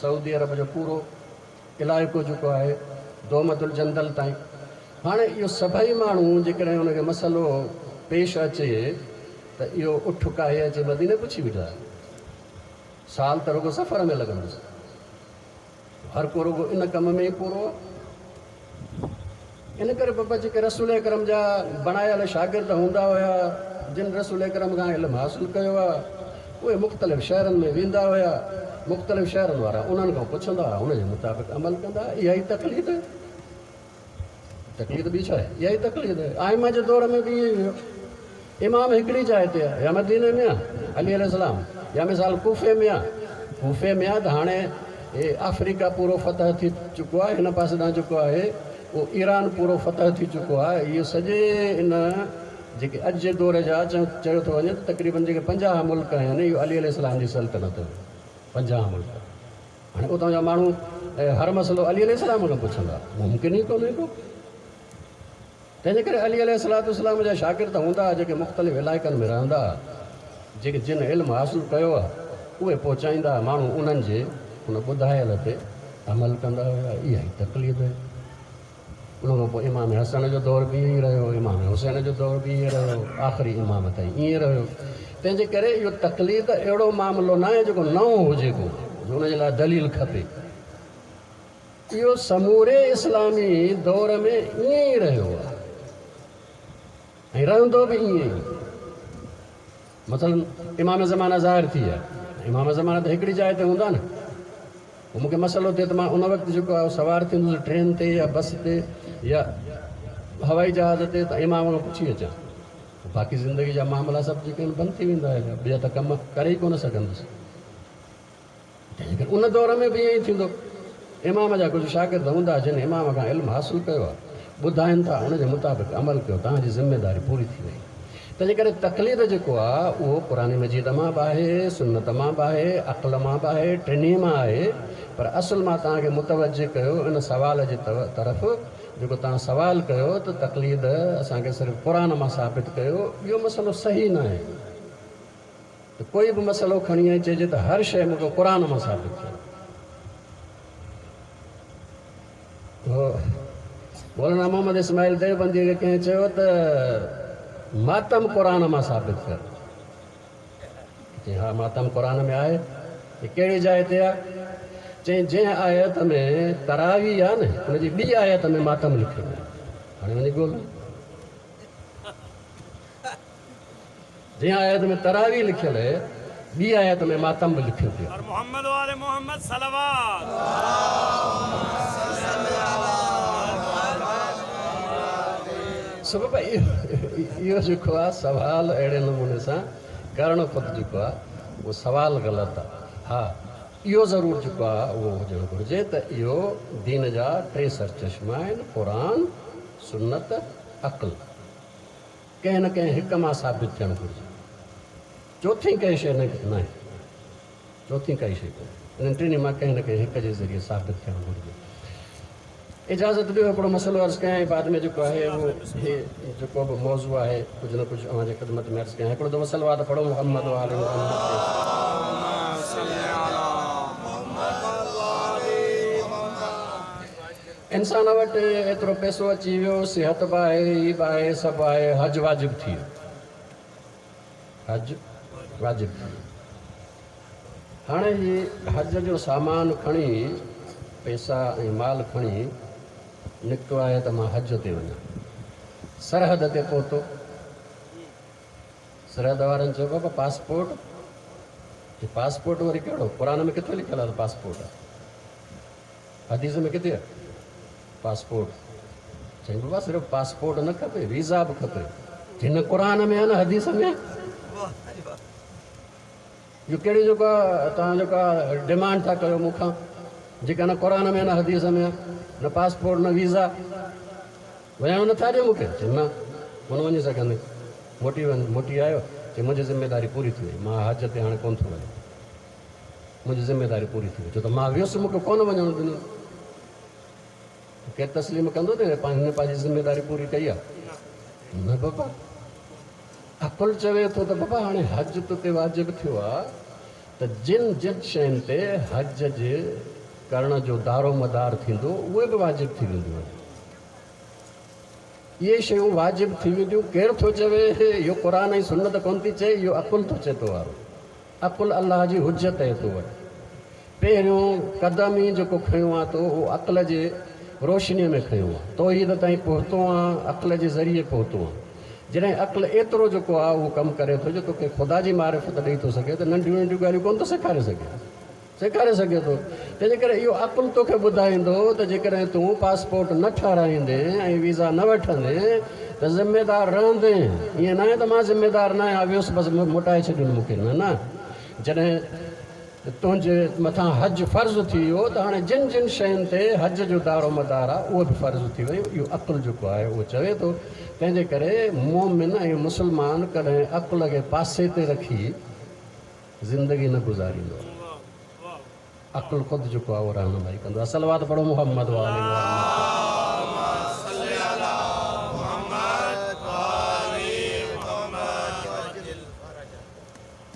سعودي عرب جو پورو علائقو جيڪو آهي دومة الجندل تائين. هاڻي اهو سڀئي ماڻهو جيڪڏهن ان کي مسئلو پيش اچي ته اهو اٺ ڪاهي اچي مديني پڇي ويٺا. سال ته رڳو سفر ۾ لڳندس. هر ڪو رڳو ان ڪم ۾ ئي پورو آهي. ان ڪري بابا جيڪي رسول اڪرم جا بڻايل شاگرد هوندا هيا، جن رسول اڪرم کان علم حاصل ڪيو آهي، اهي مختلف شهرن ۾ ويندا هيا، مختلف شهرن وارا انهن کان پڇندا هئا، ان جي مطابق عمل ڪندا هئا. اها ئي تقليد آهي. تقليد ٻي ڇا آهي؟ اها ئي تقليد آهي. ائمه جي دور ۾ به ائين ئي هيو. امام هڪڙي جاء تي آهي، يا مديني ۾ آهي علي عليه السلام، يا مثال ڪوفي ۾ آهي. ڪوفي ۾ آهي ته هاڻي هي آفريڪا پورو فتح ٿي چڪو آهي، هن پاسي ڏانهن جيڪو آهي اهو ايران پورو فتح ٿي چڪو آهي. اهو سڄي ان جيڪي اڄ جي دور جا چيو ٿو وڃي ته تقريبن جيڪي 50 ملڪ آهن، اهو علي عليه السلام جي سلطنت هئي، 50 ملڪ. هاڻي اتان جا ماڻهو هر مسئلو علي عليه السلام کان پڇندا، ممڪن ئي ڪونهي ڪو. تنهن جي ڪري علي عليه الصلوة والسلام جا شاگرد هوندا ها جيڪي مختلف علائقن ۾ رهندا ها، جيڪي جن علم حاصل ڪيو ها اهي پهچائيندا ها، ماڻهو انهن جي ان ٻڌايل تي عمل ڪندا هيا، اها ئي تقليد هئي. ان کان پوء امام حسن جو دور به ائين ئي رهيو، امام حسين جو دور به ائين رهيو، آخري امام تائين ائين رهيو. تنهن جي ڪري اهو تقليد اهڙو معاملو ناهي جيڪو نئون هجي ڪو، جو ان جي لاء دليل کپي. اهو سموري اسلامي دور ۾ ائين ئي رهيو آهي ۽ رهندو به ائين ئي. مثلا امام زمانه ظاهر ٿي ويا، امام زمانه ته هڪڙي جاء تي هوندا نه. پوء مون کي مسئلو ٿئي ته مان ان وقت جيڪو آهي سوار ٿيندس ٽرين تي يا بس تي يا هوائي جهاز تي ته امام کان پڇي اچان. باقي زندگي جا معاملا سڀ جيڪي آهن بند ٿي ويندا هليا، ٻيا ته ڪم ڪري ئي ڪونه سگهندس. تنهن ڪري ان دور ۾ به ائين ئي ٿيندو. امام جا ڪجهه شاگرد هوندا جن امام کان علم حاصل ڪيو آهي، ٻڌائين ٿا، ان جي مطابق عمل ڪيو، توهان جي ذميداري پوري ٿي وئي. تنهن ڪري تقليد جيڪو آهي اهو قرآن مجيد مان به آهي، سنت مان به آهي، عقل مان به آهي، ٽنهي مان آهي، پر اصل مان توهان کي متوجه ڪيو ان سوال جي طرف جيڪو توهان سوال ڪيو ته تقليد اسان کي صرف قرآن مان ثابت ڪيو، اهو مسئلو صحيح ناهي. ته ڪوئي به مسئلو کڻي ۽ چئجي ته هر شيء مون کي قرآن مان ثابت ٿئي. مولانا محمد اسماعيل ديوبنديء کي ڪنهن چيو ته ماتم قرآن مان ثابت ڪر. چيائين ها ماتم قرآن ۾ آهي. ڪهڙي جاء تي آهي؟ چيائين جنهن آيت ۾ تراويح آهي نه ان جي ٻي آيت ۾ ماتم لکيل آهي. هاڻي وڃي ڳولهه. جنهن آيت ۾ تراويح لکيل اهي، ٻي آيت ۾ ماتم به لکيو پيو آهي. محمد وآل محمد صلوات. سبب اهو جيڪو آهي سوال اهڙي نموني سان ڪرڻ خود جيڪو آهي اهو سوال غلط آهي. ها اهو ضرور جيڪو آهي اهو هجڻ گهرجي ته اهو دين جا ٽي سرچشما آهن، قرآن، سنت، عقل. ڪنهن نه ڪنهن هڪ مان ثابت ٿيڻ گهرجي. چوٿين ڪنهن شيء نه ناهي. چوٿين ڪائي شيء ڪونهي. انهن ٽنهي مان ڪنهن نه ڪنهن هڪ جي ذريعي ثابت ٿيڻ گهرجي. اجازت ڏيو هڪڙو مسئلو عرض ڪيان ۽ بعد ۾ جيڪو آهي اهو هي جيڪو به موضوع آهي ڪجهه نه ڪجهه اوهان جي خدمت ۾ عرض ڪيان. هڪڙو دفعو صلوات پڙهو محمد وآل محمد تي. انسان وٽ ايترو پئسو اچي ويو، صحت به آهي، هي به آهي، سڀ آهي، حج واجب ٿي ويو. حج واجب ٿي ويو. هاڻي هي حج جو سامان کڻي، پئسا ۽ مال کڻي نڪتو آهي ته مان حج تي وڃان. سرحد تي پهتو. سرحد وارن چيو بابا پاسپورٽ؟ چي پاسپورٽ وري ڪهڙو؟ قرآن ۾ ڪٿي لکيل آهي ته پاسپورٽ آهي؟ حديث ۾ ڪٿي آهي پاسپورٽ؟ چيائين بابا صرف پاسپورٽ نه کپي ويزا به کپي. چيائين نه قرآن ۾ آهي نه حديث ۾ آهي. اهو ڪهڙي جيڪو آهي توهان جيڪو آهي ڊمانڊ ٿا ڪيو مون کان جيڪا نه قرآن ۾ آهي نه حديث ۾ آهي نه پاسپورٽ نه ويزا وڃڻ نٿا ڏيو مون کي؟ چيائين نه ڪونه وڃي سگهندين موٽي وڃ. موٽي آيو چيائين منهنجي ذميداري پوري ٿي وئي مان حج تي هاڻي ڪونه ٿو وڃان. منهنجي ذميداري پوري ٿي وئي ڇو ته مان ويس مون کي ڪونه وڃڻ ڏنو. ڪير تسليم ڪندو ته هن پنهنجي ذميداري پوري ڪئي آهي؟ نه بابا عقل چوي ٿو ته بابا هاڻي حج تو تي واجب ٿيو آهي ته جن جن شين تي حج جي ڪرڻ جو دارو مدار ٿيندو اهي به واجب ٿي وينديون آهن. اهي شيون واجب ٿي وينديون ڪير ٿو چوي؟ اهو قرآن ۽ سنت ڪونه ٿي چئي اهو عقل ٿو چئي تو وارو. عقل الله جي حجت آهي تو وٽ. پهريون قدم ئي جيڪو کنيو آهي تو اهو عقل جي روشنيء ۾ کنيو آهي. توحيد تائين پهتو آهين عقل جي ذريعي پهتو آهين. جڏهن عقل ايترو جيڪو آهي اهو ڪم ڪري ٿو جو توکي خدا جي معرفت ڏئي ٿو سگهي ته ننڍيون ننڍيون ڳالهيون ڪونه ٿو سيکاري سگهي. سيکاري سگهي ٿو. تنهنجي ڪري اهو عقل توکي ٻڌائيندو ته جيڪڏهن تون پاسپورٽ نه ٺهرائيندين ۽ ويزا نه وٺندين ته ذميدار رهندين. ائين ناهي ته مان ذميدار ناهيان ويس بس موٽائي ڇڏين مون کي. نه نه جڏهن تنهنجي مٿان حج فرض ٿي ويو ته هاڻي جن جن شين تي حج جو دارومدار آهي اهي به فرض ٿي ويون. اهو عقل جيڪو آهي اهو چوي ٿو. تنهنجي ڪري مؤمن ۽ مسلمان ڪڏهن عقل کي پاسي تي رکي زندگي نه گذاريندو آهي. عقل خود جيڪو آهي اهو رهنمائي ڪندو آهي. صلوات پڙهو محمد وآل محمد.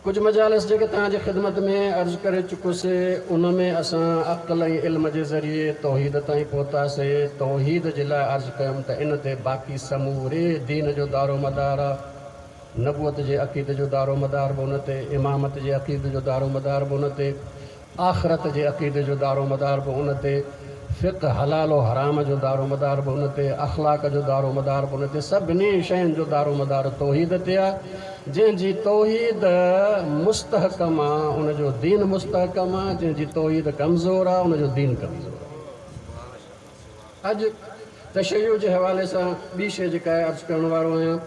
ڪجهه مجالس جيڪي توهان جي خدمت ۾ عرض ڪري چڪس ان ۾ اسان عقل ۽ علم جي ذريعي توحيد تائين پهتاسي. توحيد جي لاء عرض ڪيم ته ان تي باقي سموري دين جو دارومدار آ. نبوت جي عقيدي جو دارومدار به ان تي، امامت جي عقيدي جو دارومدار به ان تي، آخرت جي عقيدي جو دارومدار به ان تي، فقه حلال و حرام جو دارومدار به ان تي، اخلاق جو دارومدار به ان تي، سڀني شين جو دارومدار توحيد تي آ، جنهن جي توحيد مستحڪم آ ان جو دين مستحڪم آ، جنهن جي توحيد ڪمزور آ ان جو دين ڪمزور آ. اڄ تشيع جي حوالي سان ٻي شيء جيڪا آء عرض ڪرڻ وارو آهيان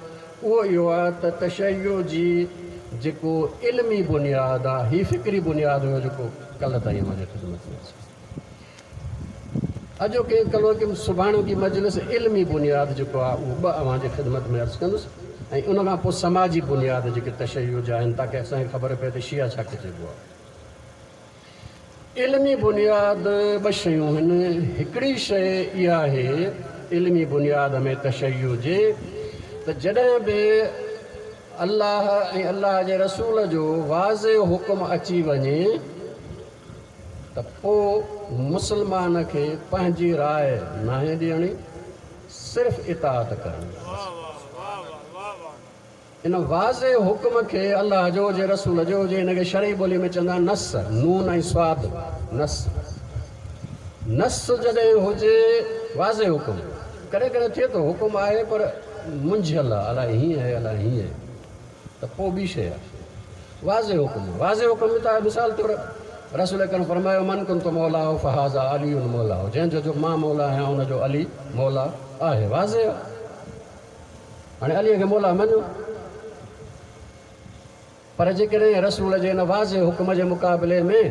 اهو اهو آهي ته تشيع جي جيڪو علمي بنياد آهي، هي فڪري بنياد هيو جيڪو ڪلهه تائين اوهان جي خدمت ۾ عرض ڪيو. اڄوڪي ڪلهوڪي سڀاڻوڪي مجلس علمي بنياد جيڪو آهي اهو به اوهان جي خدمت ۾ عرض ڪندس ۽ ان کان پوء سماجي بنياد جيڪي تشيع جا آهن تاڪه اسان کي خبر پئي ته شيعا ڇا کي چئبو آهي. علمي بنياد ٻه شيون هن، هڪڙي شيء اها آهي علمي بنياد ۾ تشيع جي ته جڏهن به الله ۽ الله جي رسول جو واضح حڪم اچي وڃي ته پوء مسلمان کي پنهنجي راء ناهي ڏيڻي صرف اطاعت ڪرڻي آهي. ان واضح حڪم کي الله جو هجي رسول جو هجي ان کي شرعي ٻولي ۾ چوندا آهن نص، نون ۽ صاد، نص. نص جڏهن هجي واضح حڪم، ڪڏهن ڪڏهن ٿئي ٿو حڪم آهي پر منجهيل آهي الائي هيئن آهي الائي هيئن آهي ته پوء ٻي شيء آهي. واضح حڪم، واضح حڪم ته آهي مثال طور رسول اڪرم فرمايو من ڪنت مولاه فهذا علي مولاه جنهن جو جو مان مولا آهيان ان جو علي مولا آهي واضح آهي. هاڻي عليء کي مولا مڃو، پر جيڪڏهن رسول جي ان واضح حڪم جي مقابلي ۾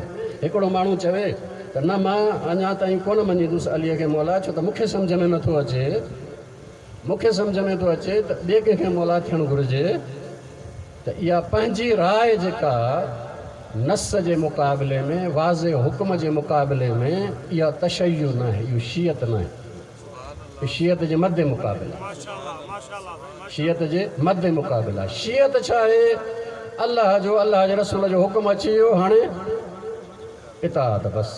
هڪڙو ماڻهو چوي ته نه مان اڃا تائين ڪونه مڃيندس عليء کي مولا ڇو ته مون کي سمجهه ۾ نٿو اچي، مون کي سمجهه ۾ ٿو اچي ته ٻئي ڪنهن کي مولا ٿيڻ گهرجي ته اها پنهنجي راء جيڪا نص جي مقابلي ۾ واضح حڪم جي مقابلي ۾ اها تشيع ناهي، اهو شيعت ناهي. شيعت جي مد مقابل آهي. شيعت جي مد مقابل آهي. شيعت ڇا آهي؟ الله جو الله جي رسول جو حڪم اچي ويو هاڻي اطاعت بس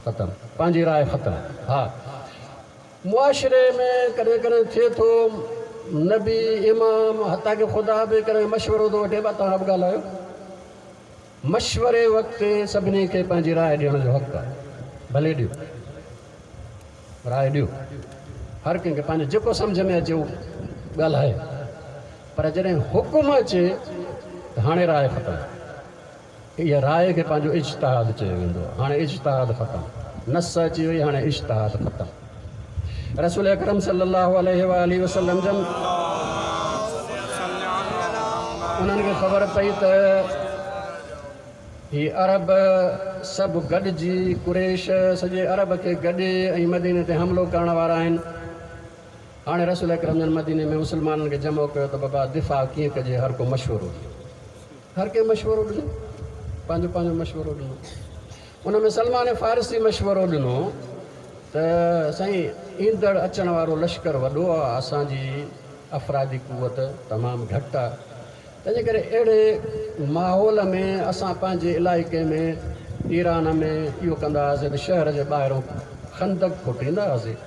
ختم پنهنجي راء ختم. ها معاشري ۾ ڪڏهن ڪڏهن ٿئي ٿو نبي امام حتيٰ ڪه خدا به ڪڏهن مشورو ٿو وٺي ڀا توهان به ڳالهايو. مشوري وقت سڀني کي پنهنجي راء ڏيڻ جو حق آهي ڀلي ڏيو. راء ڏيو. هر ڪنهن کي پنهنجو جيڪو سمجهه ۾ اچي اهو ڳالهائي پر جڏهن حڪم اچي ته هاڻي راء ختم. اها راء کي پنهنجو اجتهاد چيو ويندو آهي. هاڻي اجتهاد ختم. نص اچي وئي هاڻي اجتهاد ختم. رسول اڪرم صلي الله عليه واٰله وسلم جن انهن کي خبر پئي ته هي عرب سڀ گڏجي قريش سڄي عرب کي گڏي ۽ مديني تي حملو ڪرڻ وارا آهن. هاڻي رسول اڪرم جن مديني ۾ مسلمانن کي جمع ڪيو ته بابا دفاع ڪيئن ڪجي هر ڪو مشورو ڏيو. هر ڪنهن مشورو ڏنو پنهنجو پنهنجو مشورو ڏنو. ان ۾ سلمان فارسي مشورو ڏنو ته سائين ايندڙ اچڻ وارو لشڪر وڏو آهي اسان جي افرادي قوت تمام گهٽ آهي. تنهنجي ڪري اهڙي ماحول ۾ اسان پنهنجي علائقي ۾ ايران ۾ اهو ڪندا هئاسين ته شهر جي ٻاهرون خندق کوٽيندا هئاسين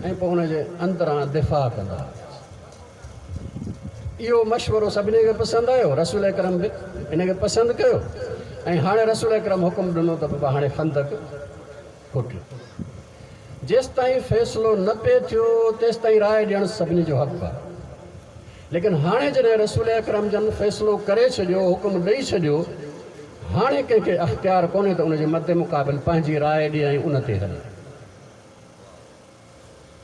۽ پوء ان جي اندران دفاع ڪندا هئاسين. اهو مشورو سڀني کي پسند آيو، رسول اڪرم به ان کي پسند ڪيو ۽ هاڻي رسول اڪرم حڪم ڏنو ته بابا هاڻي خندق کوٽيو. جيستائين فيصلو نه پئي ٿيو تيستائين راء ڏيڻ سڀني جو حق آهي. ليڪن هاڻي جڏهن رسول اڪرم جن فيصلو ڪري ڇڏيو، حڪم ڏئي ڇڏيو، هاڻي ڪنهن کي اختيار ڪونهي ته ان جي مد مقابل پنهنجي راء ڏئي ۽ ان تي هلي.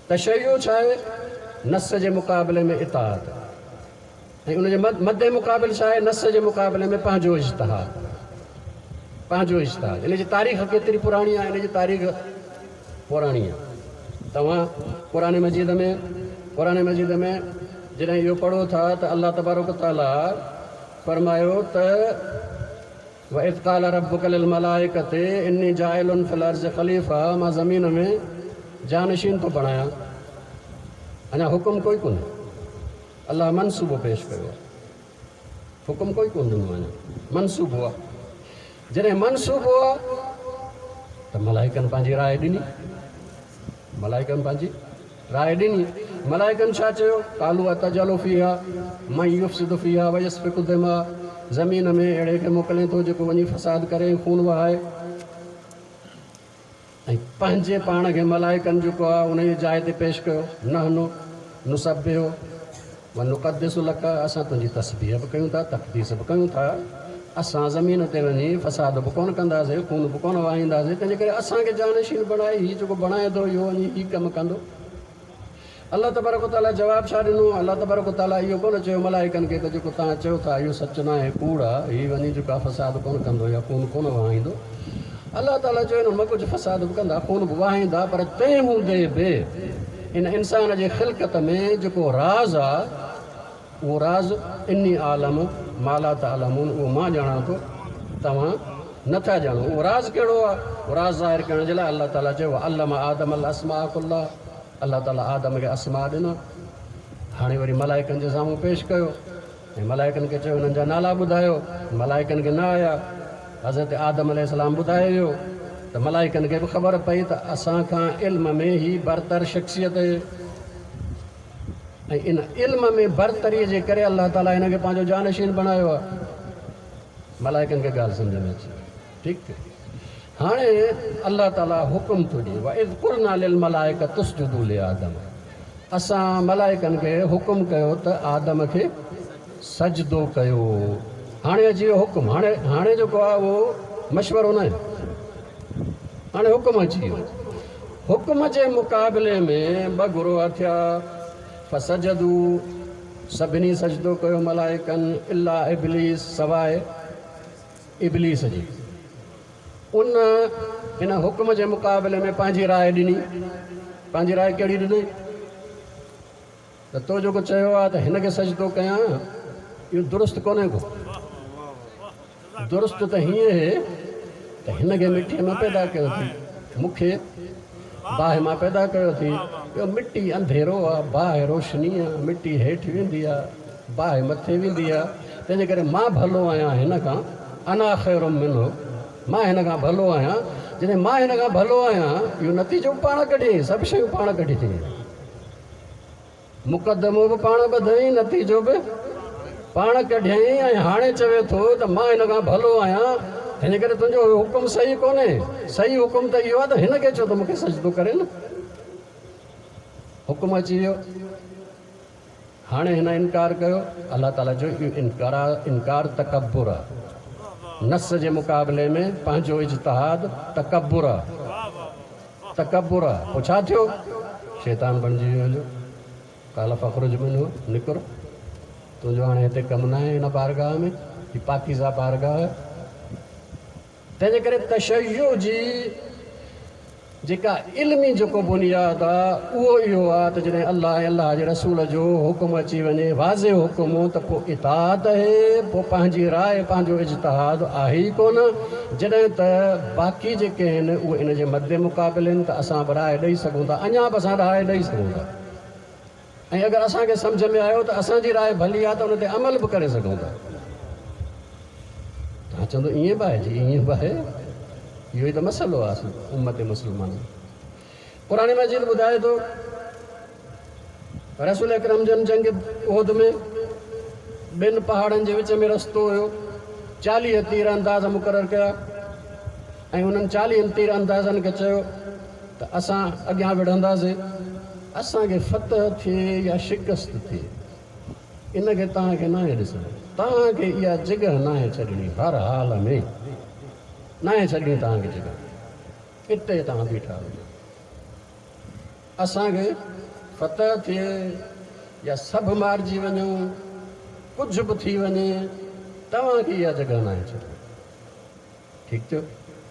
تشيع ڇا آهي؟ نص جي مقابلي ۾ اطاعت ۽ ان جي مد مقابل ڇا آهي؟ نص جي مقابلي ۾ پنهنجو اجتهاد. پنهنجو اجتهاد. ان جي تاريخ ڪيتري پراڻي آهي؟ ان جي تاريخ پراڻي آهي. توهان قرآن مجيد ۾ قرآن مجيد ۾ جڏهن اهو پڙهو ٿا ته الله تبارڪ وتعاليٰ فرمايو ته. واذ قال ربک للملائڪة اني جاعل في الارض خليفة مان زمين ۾ جانشين ٿو بڻايان. اڃا حڪم ڪوئي ڪونهي. الله منصوبو پيش ڪيو آهي. حڪم ڪوئي ڪونه ڏنو اڃا منصوبو آهي. جڏهن منصوبو آهي ته ملائڪن پنهنجي راء ڏني. ملائڪن پنهنجي راء ڏني. ملائڪن ڇا چيو؟ قالوا اتجعل فيها من يفسد فيها ويسفڪ الدماء زمين ۾ اهڙي کي موڪلين ٿو جيڪو وڃي فساد ڪري ۽ خون وهائي ۽ پنهنجي پاڻ کي ملائڪن جيڪو آهي انهيء جاء تي پيش ڪيو نحن نسبح ونقدس لک اسان تنهنجي تسبيح به ڪيون ٿا، تقديس به ڪيون ٿا، اسان زمين تي وڃي فساد به ڪونه ڪنداسين، خون به ڪونه وهائينداسين، تنهنجي ڪري اسان کي جانشين بڻائي، هي جيڪو بڻائين ٿو اهو وڃي هي ڪم ڪندو. الله تبارڪ وتعاليٰ جواب ڇا ڏنو؟ الله تبارڪ وتعاليٰ اهو ڪونه چيو ملائڪن کي ته جيڪو توهان چئو ٿا اهو سچ ناهي، ڪوڙ آهي، هي وڃي جيڪو آهي فساد ڪونه ڪندو يا خون ڪونه وهائيندو. الله تعاليٰ چيو انهن مان ڪجهه فساد به ڪندا، خون به وهائيندا، پر تنهن هوندي به ان انسان جي خلقت ۾ جيڪو راز آ، اهو راز اني اعلم ما لا تعلمون اهو مان ڄاڻان ٿو، توهان نه ٿا ڄاڻو. اهو راز ڪهڙو آ؟ اهو راز ظاهر ڪرڻ جي لاء الله تعاليٰ چيو وعلم آدم الاسماء ڪلها الله تعاليٰ آدم کي اسماء ڏنا. هاڻي وري ملائڪن جي سامهون پيش ڪيو. ۽ ملائڪن کي چيو انهن جا نالا ٻڌايو، ملائڪن کي نه آيا، حضرت آدم عليه السلام ٻڌائي ويو ته ملائڪن کي به خبر پئي ته اسان کان علم ۾ هي برتر شخصيت اهي ۽ ان علم ۾ برتري جي ڪري الله تعالي هن کي پنهنجو جانشين بڻايو آهي. ملائڪن کي ڳالهه سمجهه ۾ اچي وئي. ٺيڪ ٿيو. هاڻي الله تعالي حڪم ٿو ڏئي واذ قلنا للملائڪة اسجدوا لآدم اسان ملائڪن کي حڪم ڪيو ته آدم کي سجدو ڪيو. هاڻي اچي ويو حڪم. هاڻي هاڻي جيڪو آهي اهو مشورو ناهي. هاڻي حڪم اچي ويو. حڪم جي مقابلي ۾ ٻه گروهه ٿيا. فسجدوا سڀني سجدو ڪيو ملائڪن الا ابليس سواء ابليس جي. ان هن حڪم جي مقابلي ۾ پنهنجي راء ڏني. پنهنجي راء ڪهڙي ڏني؟ ته تو جيڪو چيو آهي ته هن کي سجدو ڪيان، اهو درست ڪونهي ڪو. درست ته هيئن اهي ته هن کي مٽيء مان پيدا ڪيو اٿئي، مون کي باهه مان پيدا ڪيو اٿئي. اهو مٽي انڌيرو آهي، باهه روشني آهي، مٽي هيٺ ويندي آهي، باهه مٿي ويندي آهي، تنهنجي ڪري مان ڀلو آهيان هن کان، انا خير منه، مان هن کان ڀلو آهيان، جڏهن مان هن کان ڀلو آهيان، اهو نتيجو به پاڻ ڪڍيائين، سڀ شيون پاڻ ڪڍي ڇڏيائين. مقدمو به پاڻ ٻڌائين، نتيجو به پاڻ ڪڍيائين ۽ هاڻي چوي ٿو ته مان هن کان ڀلو آهيان، تنهنجي ڪري تنهنجو اهو حڪم صحيح ڪونهي، صحيح حڪم ته اهو آهي ته هن کي چئو ته مون کي سجدو ڪري نه. حڪم اچي ويو. هاڻي هن انڪار ڪيو، الله تعاليٰ چيو اهو انڪار تڪبر آهي، نص جي مقابلي ۾ پنهنجو اجتهاد تڪبر آهي، تڪبر آهي، پوء ڇا ٿيو؟ شيطان بڻجي ويو هليو، قال فاخرج منه، نڪر، تنهنجو هاڻي هتي ڪم ناهي هن بارگاهه ۾، هي پاڪيزه بارگاهه آهي. تنهنجي ڪري تشيع جي جيڪا علمي جيڪو بنياد آ اهو اهو آ ته جڏهن الله ۽ الله جي رسول جو حڪم اچي وڃي واضح حڪم ته پوء اطاعت اهي پوء پنهنجي راء پنهنجو اجتهاد آهي ئي ڪونه جڏهن ته باقي جيڪي آهن اهي ان جي مد مقابل آهن ته اسان به راء ڏئي سگهون ٿا اڃا به اسان راء ڏئي سگهون ٿا ۽ اگر اسان کي سمجهه ۾ آيو ته اسان جي راء ڀلي آهي ته ان تي عمل به ڪري سگهون ٿا. توهان چوندو ائين به آهي؟ جي ائين به آهي. اهو ئي ته مسئلو آهي اصل امت مسلمان ۾. قرآن مجيد ٻڌائي ٿو رسول اڪرم جن جنگ احد ۾ ٻن پهاڙن جي وچ ۾ رستو هيو، 40 تير انداز مقرر ڪيا ۽ انهن 40 تير اندازن کي چيو ته اسان اڳيان وڙهنداسين، اسان کي فتح ٿئي يا شڪست ٿئي، ان کي توهان کي ناهي ڏسڻو، توهان کي اها جڳهه ناهي ڇڏڻي، هر حال ۾ ناهي ڇڏڻي توهان کي جڳهه، اتي توهان بيٺا هجو، اسان کي فتح ٿئي يا سڀ مارجي وڃون، ڪجهه به ٿي وڃي، توهان کي اها جڳهه ناهي ڇڏڻي. ٺيڪ ٿيو،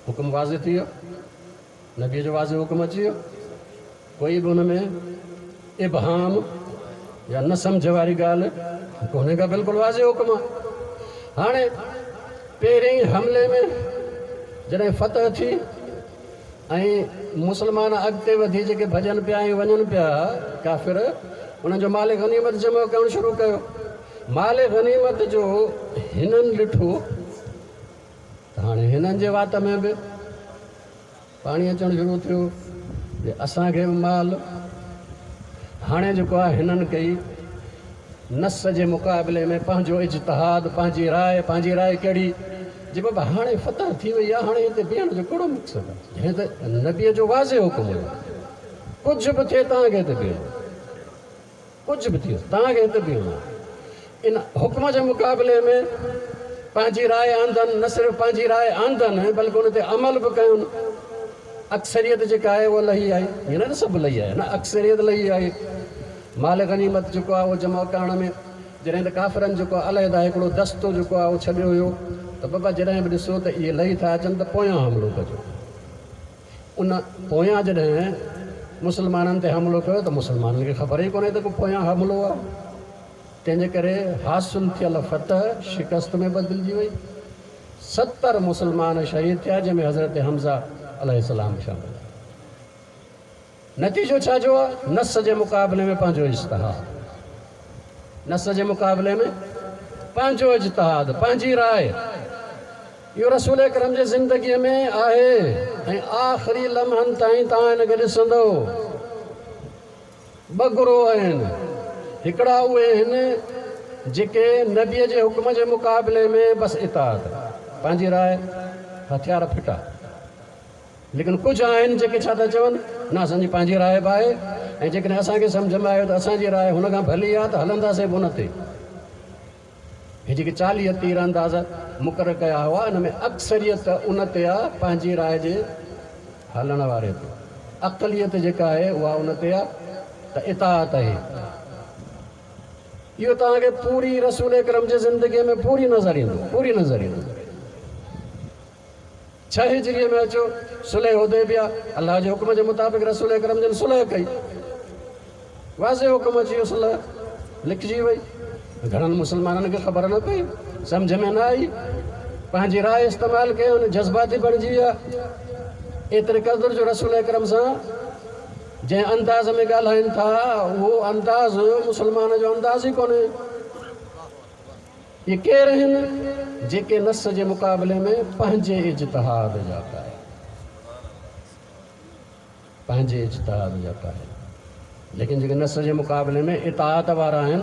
حڪم واضح ٿي ويو. نبيء جو واضح حڪم اچي ويو، ڪوئي به ان ۾ ابهام يا نه سمجهه واري ڳالهه ڪونهي ڪا، بلڪل واضح حڪم آهي. هاڻي پهرئين حملي ۾ جڏهن فتح ٿي ۽ مسلمان اڳتي وڌي جيڪي ڀڄن پيا ۽ وڃن پيا، ڪافر انهن جو مال غنيمت جمع ڪرڻ شروع ڪيو. مال غنيمت جو هنن ڏٺو ته هاڻي هنن جي وات ۾ به پاڻي اچڻ شروع ٿيو جي اسان کي به مال. هاڻي جيڪو آهي هنن ڪئي نص جي مقابلي ۾ پنهنجو اجتهاد، پنهنجي راء، پنهنجي راء ڪهڙي؟ جي بابا هاڻي فتح ٿي وئي آهي، هاڻي هتي بيهڻ جو ڪهڙو مقصد آهي؟ جڏهن ته نبيء جو واضح حڪم هيو، ڪجهه به ٿئي توهان کي هتي بيهڻو آهي، ڪجهه به ٿئي توهان کي هتي بيهڻو آهي. ان حڪم جي مقابلي ۾ پنهنجي راء آندن، نه صرف پنهنجي راء آندن بلڪه ان تي عمل به ڪيون. اڪثريت جيڪا آهي اها لهي آئي، ائين نه ته سڀ لهي آيا، نه اڪثريت لهي آئي. مال غنيمت جيڪو آهي اهو جمع ڪرڻ ۾ جڏهن ته ڪافرن جيڪو آهي علحده هڪڙو دستو جيڪو آهي اهو ڇڏيو هيو ته بابا جڏهن به ڏسو ته اهي لهي ٿا اچن ته پويان حملو ڪجو. ان پويان جڏهن مسلمانن تي حملو ڪيو ته مسلمانن کي خبر ئي ڪونهي ته ڪو پويان حملو آهي. تنهن جي ڪري حاصل ٿيل فتح شڪست ۾ بدلجي وئي. 70 مسلمان شهيد ٿيا جنهن ۾ حضرت حمزه عليه السلام به شامل آهي. نتيجو ڇا جو آ؟ نص جي مقابلي ۾ پنهنجو اجتهاد. نص جي مقابلي ۾ پنهنجو اجتهاد، پنهنجي راء. اهو رسول اڪرم جي زندگيء ۾ آهي ۽ آخري لمحن تائين توهان هن کي ڏسندؤ. ٻه گروهه آهن. هڪڙا اهي آهن جيڪي نبيء جي حڪم جي مقابلي ۾ بس اطاعت، پنهنجي راء، هٿيار ڦٽا. ليڪن ڪجهه آهن جيڪي ڇا ٿا چون، نه اسان جي پنهنجي راء به آهي ۽ جيڪڏهن اسان کي سمجهه ۾ آيو ته اسان جي راء هن کان ڀلي آهي ته هلنداسين به ان تي. هي جيڪي 40 تير انداز مقرر ڪيا هئا ان ۾ اڪثريت ان تي آهي پنهنجي راء جي هلڻ واري تي. اقليت جيڪا آهي اها ان تي آهي ته اطاعت آهي. اهو توهان کي پوري رسول اڪرم جي زندگيء ۾ پوري نظر ايندو، پوري نظر ايندو. 6 هجريء ۾ اچو صلح حديبيه، الله جي حڪم جي مطابق رسول اڪرم جن صلح ڪئي. واضح حڪم اچي ويو، صلح لکجي وئي. گهڻن مسلمانن کي خبر نه پئي، سمجهه ۾ نه آئي، پنهنجي راء استعمال ڪيائون، جذباتي بڻجي ويا. ايتري قدر جو رسول اڪرم سان جنهن انداز ۾ ڳالهائين ٿا، اهو انداز مسلمان جو انداز ئي ڪونهي. اهي ڪير آهن جيڪي نص جي مقابلي ۾ پنهنجي اجتهاد جا قائل پنهنجي اجتهاد جا قائل ليڪن جيڪي نص جي مقابلي ۾ اطاعت وارا آهن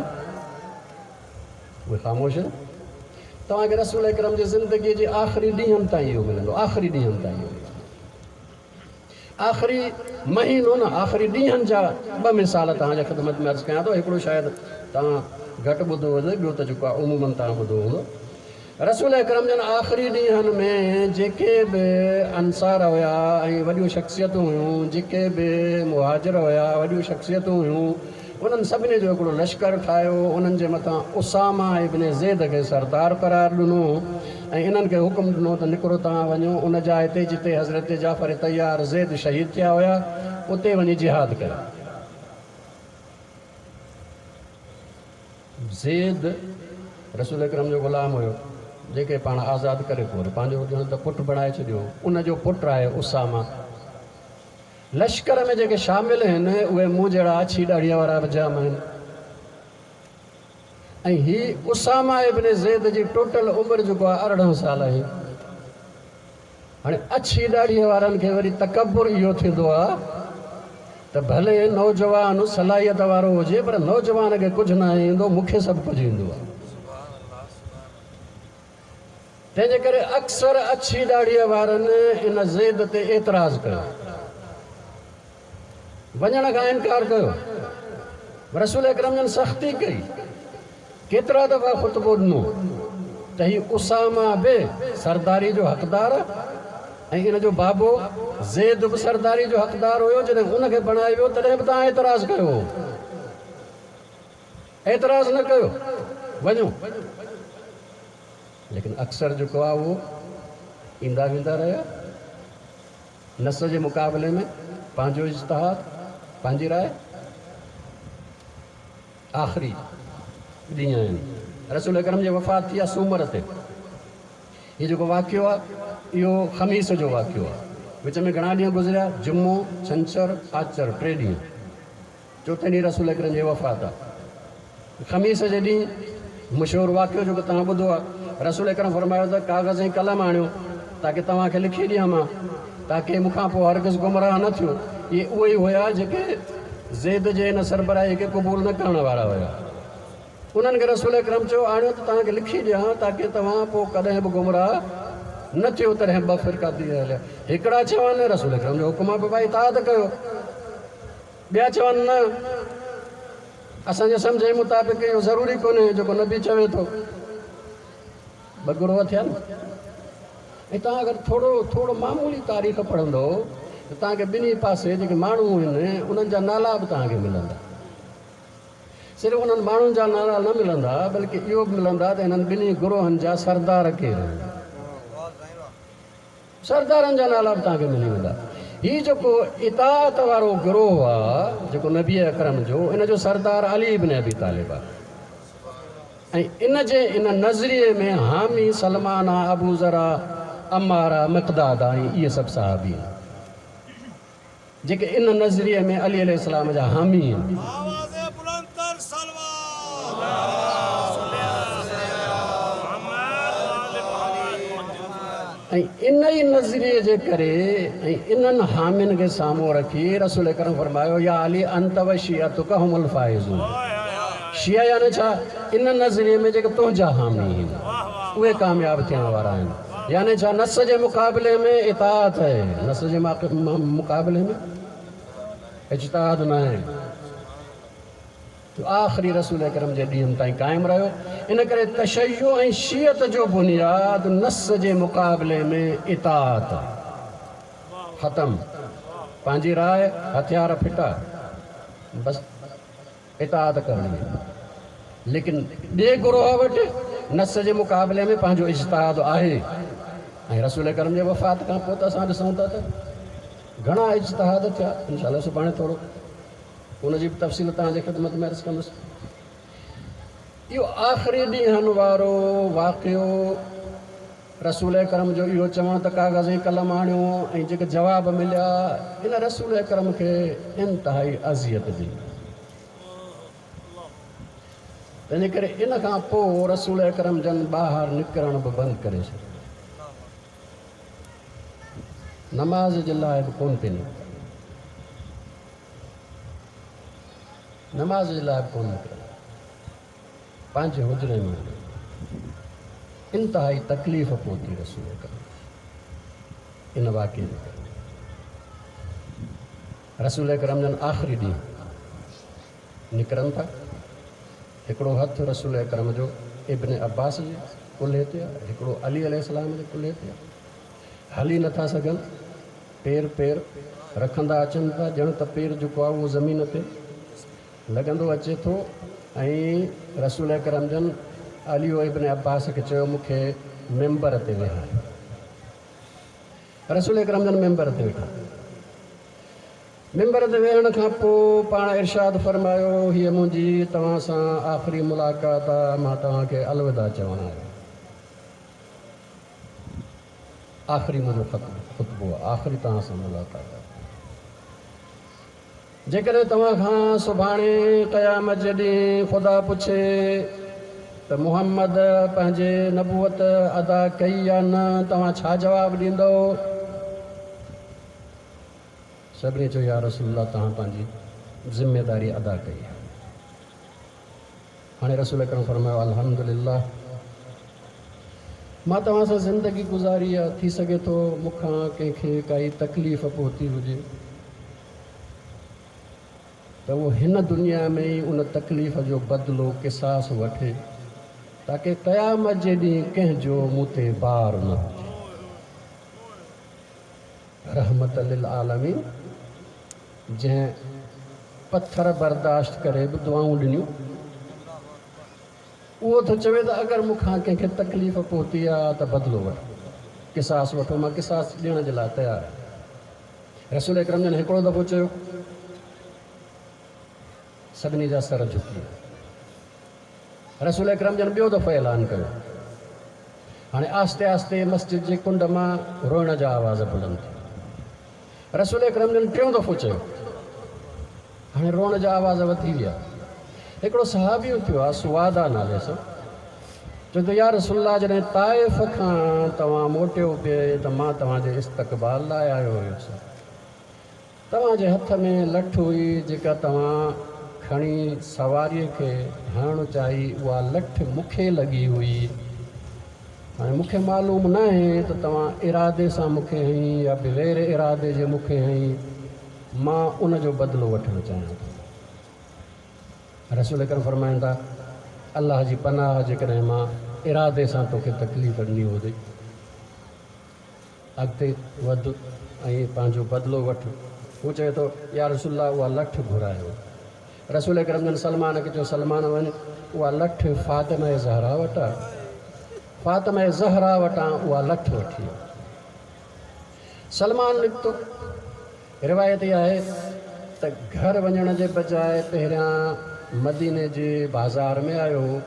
اهي خاموش آهن. توهان کي رسول اڪرم جي زندگي جي آخري ڏينهن تائين اهو ملندو، آخري ڏينهن تائين اهو ملندو. آخري مهينو نه آخري ڏينهن جا ٻه مثال توهان جي خدمت ۾ عرض ڪيان ٿو. هڪڙو شايد توهان گهٽ ٻڌو هجي، ٻيو ته جيڪو آهي عموماً توهان ٻڌو هوندو. رسول اڪرم جن آخري ڏينهن ۾ جيڪي به انصار هيا ۽ وڏيون شخصيتون هيون، جيڪي به مهاجر هيا وڏيون شخصيتون هيون، انهن سڀني جو هڪڙو لشڪر ٺاهيو، انهن جي مٿان اسامه ابن زيد کي سردار قرار ڏنو ۽ انهن کي حڪم ڏنو ته نڪرو توهان وڃو ان جاء تي جتي حضرت جعفر طيار زيد شهيد ٿيا هيا، اتي وڃي جهاد ڪيو. زيد رسول اڪرم جو غلام هيو، جنهن کي پاڻ آزاد ڪري پوء وري پنهنجو ڄڻ ته پٽ بڻائي ڇڏيو هو. ان جو پٽ آهي اسامه. لشڪر ۾ جيڪي شامل آهن اهي مون جهڙا اڇي ڏاڙهيء وارا به جام آهن ۽ هي اسامه ابن زيد جي ٽوٽل عمر جيڪو آهي 18 سال آهي. هاڻي اڇي ڏاڙهيء وارن کي وري تڪبر اهو ٿيندو آهي ته ڀلي نوجوان صلاحيت وارو هجي پر نوجوان کي ڪجهه ناهي ايندو، مون کي سڀ ڪجهه ايندو آهي. تنهن جي ڪري اڪثر اڇي ڏاڙهيء وارن ان زيد تي اعتراض ڪيو. وڃڻ کان انڪار ڪيو. رسول اڪرم جن سختي ڪئي. ڪيترا دفعا خطبو ڏنو ته هي اسامه به سرداري جو حقدار ۽ ان جو بابو زيد به سرداري جو حقدار هيو، جڏهن ان کي بڻايو ويو تڏهن به توهان اعتراض ڪيو هو. اعتراض نه ڪيو، وڃو. ليڪن اڪثر جيڪو آهي اهو ايندا ويندا رهيا. نص جي مقابلي ۾ پنهنجو اجتهاد، پنهنجي راء. آخري ڏينهن آهن. رسول اڪرم جي وفات ٿي آهي سومر تي. هي جيڪو واقعو آهي اهو خميس جو واقعو آهي. وچ ۾ گهڻا ڏينهن گذريا، جمعو، ڇنڇر، آچر، ٽي ڏينهن. چوٿين ڏينهن رسول اڪرم جي وفات آهي. خميس جي ڏينهن مشهور واقعو جيڪو توهان ٻڌو آهي، رسول اڪرم فرمايو ته ڪاغذ ۽ قلم آڻيو تاڪه توهان کي لکي ڏيان مان، تاڪه مون کان پوء هرگز گمراهه نه ٿيو. اهي اهي ئي هيا جيڪي زيد جي ان سربراهي کي قبول نه ڪرڻ وارا هيا. انهن کي رسول اڪرم چيو، آڻيو ته توهان کي لکي ڏيان تاڪه توهان پوء ڪڏهن به گمراهه نه ٿيو. تڏهن ٻه فرقا ٿي هليا. هڪڙا چون، رسول اڪرم جو حڪم آهي بابا اطاعت ڪيو. ٻيا چون، نه، اسان جي سمجهه مطابق اهو ضروري ڪونهي جيڪو نبي چوي ٿو. ٻه گروهه ٿيا نه. ۽ توهان اگر ٿورو ٿورو معمولي تاريخ پڙهندؤ ته توهان کي ٻنهي پاسي جيڪي ماڻهو آهن انهن جا نالا به توهان کي ملندا. صرف انهن ماڻهن جا نالا نه ملندا بلڪه اهو به ملندا ته انهن ٻنهي گروهن جا سردار ڪير آهن. سردارن جا نالا به توهان کي ملي ويندا. هي جيڪو اطاعت وارو گروهه آ جيڪو نبي اڪرم جو ان جو سردار علي ابن ابي طالب آ ۽ ان جي ان نظريي ۾ حامي سلمان آ، ابوذر آ، عمار آ، مقداد آ ۽ اهي سڀ صحابي آهن. جيڪي ان نظريي ۾ علي عليه السلام جا حامي آهن. آواز بلند تر صلوات. ۽ ان ئي نظريي جي ڪري ۽ انهن حامين کي سامهون رکي رسول اڪرم فرمايو يا علي انت و شيعتک هم الفائزون شيعه يعني ڇا؟ ان نظريي ۾ جيڪي تنهنجا حامي آهن اهي ڪامياب ٿيڻ وارا آهن. يعني ڇا نص جي مقابلي ۾ اطاعت آهي، نص جي مقابلي ۾ اجتهاد ناهي. جو آخري رسول اڪرم جي ڏينهن تائين قائم رهيو. ان ڪري تشيع ۽ شيعت جو بنياد نص جي مقابلي ۾ اطاعت آهي. ختم. پنهنجي راء، هٿيار ڦٽا. بس. اطاعت ڪرڻي آهي ليڪن ٻئي گروهه وٽ نص جي مقابلي ۾ پنهنجو اجتهاد آهي ۽ رسول اڪرم جي وفات کان پوء ته اسان ڏسون ٿا ته گهڻا اجتهاد ٿيا انشاء الله سڀاڻي ٿورو ان جي به تفصيل توهان جي خدمت ۾ عرض ڪندس. اهو آخري ڏينهن وارو واقعو رسول اڪرم جو اهو چوڻ ته ڪاغذ ۽ قلم آڻيو ۽ جيڪي جواب مليا ان رسول اڪرم کي انتهائي اذيت ڏني. تنهنجي ڪري ان کان پوء رسول اڪرم جن ٻاهر نڪرڻ به بند ڪري ڇڏيو. نماز جي لاء به ڪونه پئي نڪتا. نماز جي لاء به ڪونه نڪرندا. پنهنجي حجري ۾ وڃي انتهائي تڪليف پهتي رسول اڪرم ان واقعي جي ڪري. رسول اڪرم جن آخري ڏينهن نڪرن ٿا، هڪڙو هٿ رسول اڪرم جو ابن عباس جي ڪلهي تي آهي، هڪڙو علي عليه السلام جي ڪلهي تي آهي. هلي نٿا سگهن، پير پير رکندا اچن ٿا، ڄڻ ته پير جيڪو آهي اهو زمين تي لڳندو اچي ٿو ۽ رسول اڪرم جن علي و ابن عباس کي چيو مون کي منبر تي ويهاريو. رسول اڪرم جن منبر تي ويٺا. منبر تي ويهڻ کان پوء پاڻ ارشاد فرمايو هيء منهنجي توهان سان آخري ملاقات آ، مان توهان کي الوداع چوڻ آيو آهيان. آخري منهنجو خطبو آ، آخري توهان سان ملاقات آ. جيڪڏهن توهان کان سڀاڻي قيامت جي ڏينهن خدا پڇي ته محمد پنهنجي نبوت ادا ڪئي يا نه، توهان ڇا جواب ڏيندؤ؟ سڀني چيو يا رسول الله توهان پنهنجي ذميداري ادا ڪئي آهي. هاڻي رسول اڪرم فرمايو الحمدلله مان توهان سان زندگي گذاري آهي، ٿي سگهي ٿو مون کان ڪنهن کي ڪائي تڪليف پهتي هجي ته اهو هن دنيا ۾ ئي ان تڪليف جو بدلو، قصاص، وٺي تاڪه قيامت جي ڏينهن ڪنهن جو مون تي بار نه هجي. رحمت للعالمين جنهن پٿر برداشت ڪري به دعائون ڏنيون، اهو ٿو چوي ته اگر مون کان ڪنهن کي تڪليف پهتي آ ته بدلو وٺو، قصاص وٺو، مان قصاص ڏيڻ جي لاء تيار آهيان. رسول اڪرم جن هڪڙو دفعو چيو، سڀني جا سر جهڪي ويا. رسول اڪرم جن ٻيو دفعو اعلان ڪيو. هاڻي آهستي آهستي مسجد جي ڪنڊ مان روئڻ جا آواز بلند ٿيا. رسول اڪرم جن ٽيون دفعو چيو. هاڻي روئڻ جا آواز وڌي ويا. هڪڙو صحابي اٿيو آ سواده نالي سان، چوي ٿو يا رسول الله جڏهن طائف کان توهان موٽيو پئي ته مان توهان جي استقبال لاء آيو هيس. توهان جي هٿ ۾ لٺ هئي جيڪا توهان کڻي سواريء کي هڻڻ چاهي اها لٺ مون کي لڳي هئي. هاڻي مون کي معلوم ناهي ته توهان ارادي سان مون کي هنئي يا بغير ارادي جي مون کي هنئي. مان ان جو بدلو وٺڻ چاهيان ٿو. رسول اڪرم فرمائن ٿا، الله جي پناهه جيڪڏهن مان ارادي سان توکي تڪليف ڏني هجي. اڳتي وڌ ۽ پنهنجو بدلو وٺ. هو چوي ٿو، يا رسول الله اها لٺ گهرايو. رسول اڪرم جن سلمان کي چيو، سلمان وڃ اها لٺ فاطمه زهرا وٽ آ. فاطمه زهرا وٽان اها لٺ وٺي آ. سلمان نڪتو. روايت اها آهي ته گهر وڃڻ جي بجاء پهريان مديني جي بازار ۾ آيو هو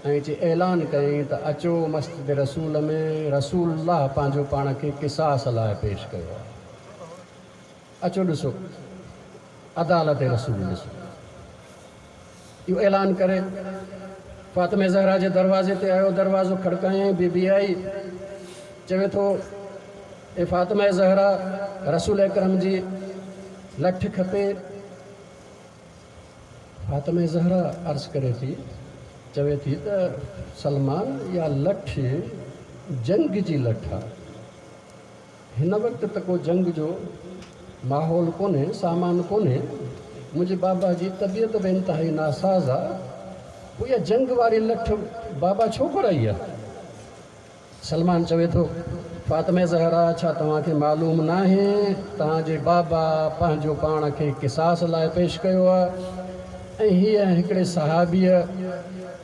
۽ اچي اعلان ڪيائين ته اچو مسجد رسول ۾ رسول الله پنهنجو پاڻ کي قصاص لاء پيش ڪيو آهي. اچو ڏسو عدالت رسول ڏسو. اهو اعلان ڪري فاطمه زهرا جي دروازي تي آيو، دروازو کڙڪايائين، بي بي آئي، چوي ٿو، اي فاطمه زهرا! رسول اڪرم جي لٺ کپي. فاطمه زهرا عرض ڪري ٿي، چوي ٿي ته سلمان اها لٺ جنگ جي لٺ آ. هن وقت ته ڪو جنگ جو ماحول ڪونهي، سامان ڪونهي، منهنجي بابا جي طبيعت به انتهائي ناساز آ، پوء اها جنگ واري لٺ بابا ڇو گهرائي آ؟ سلمان چوي ٿو، فاطمه زهرا ڇا توهان کي معلوم ناهي توهان جي بابا پنهنجو پاڻ کي قصاص لاء پيش ڪيو آ ۽ هيء هڪڙي صحابيء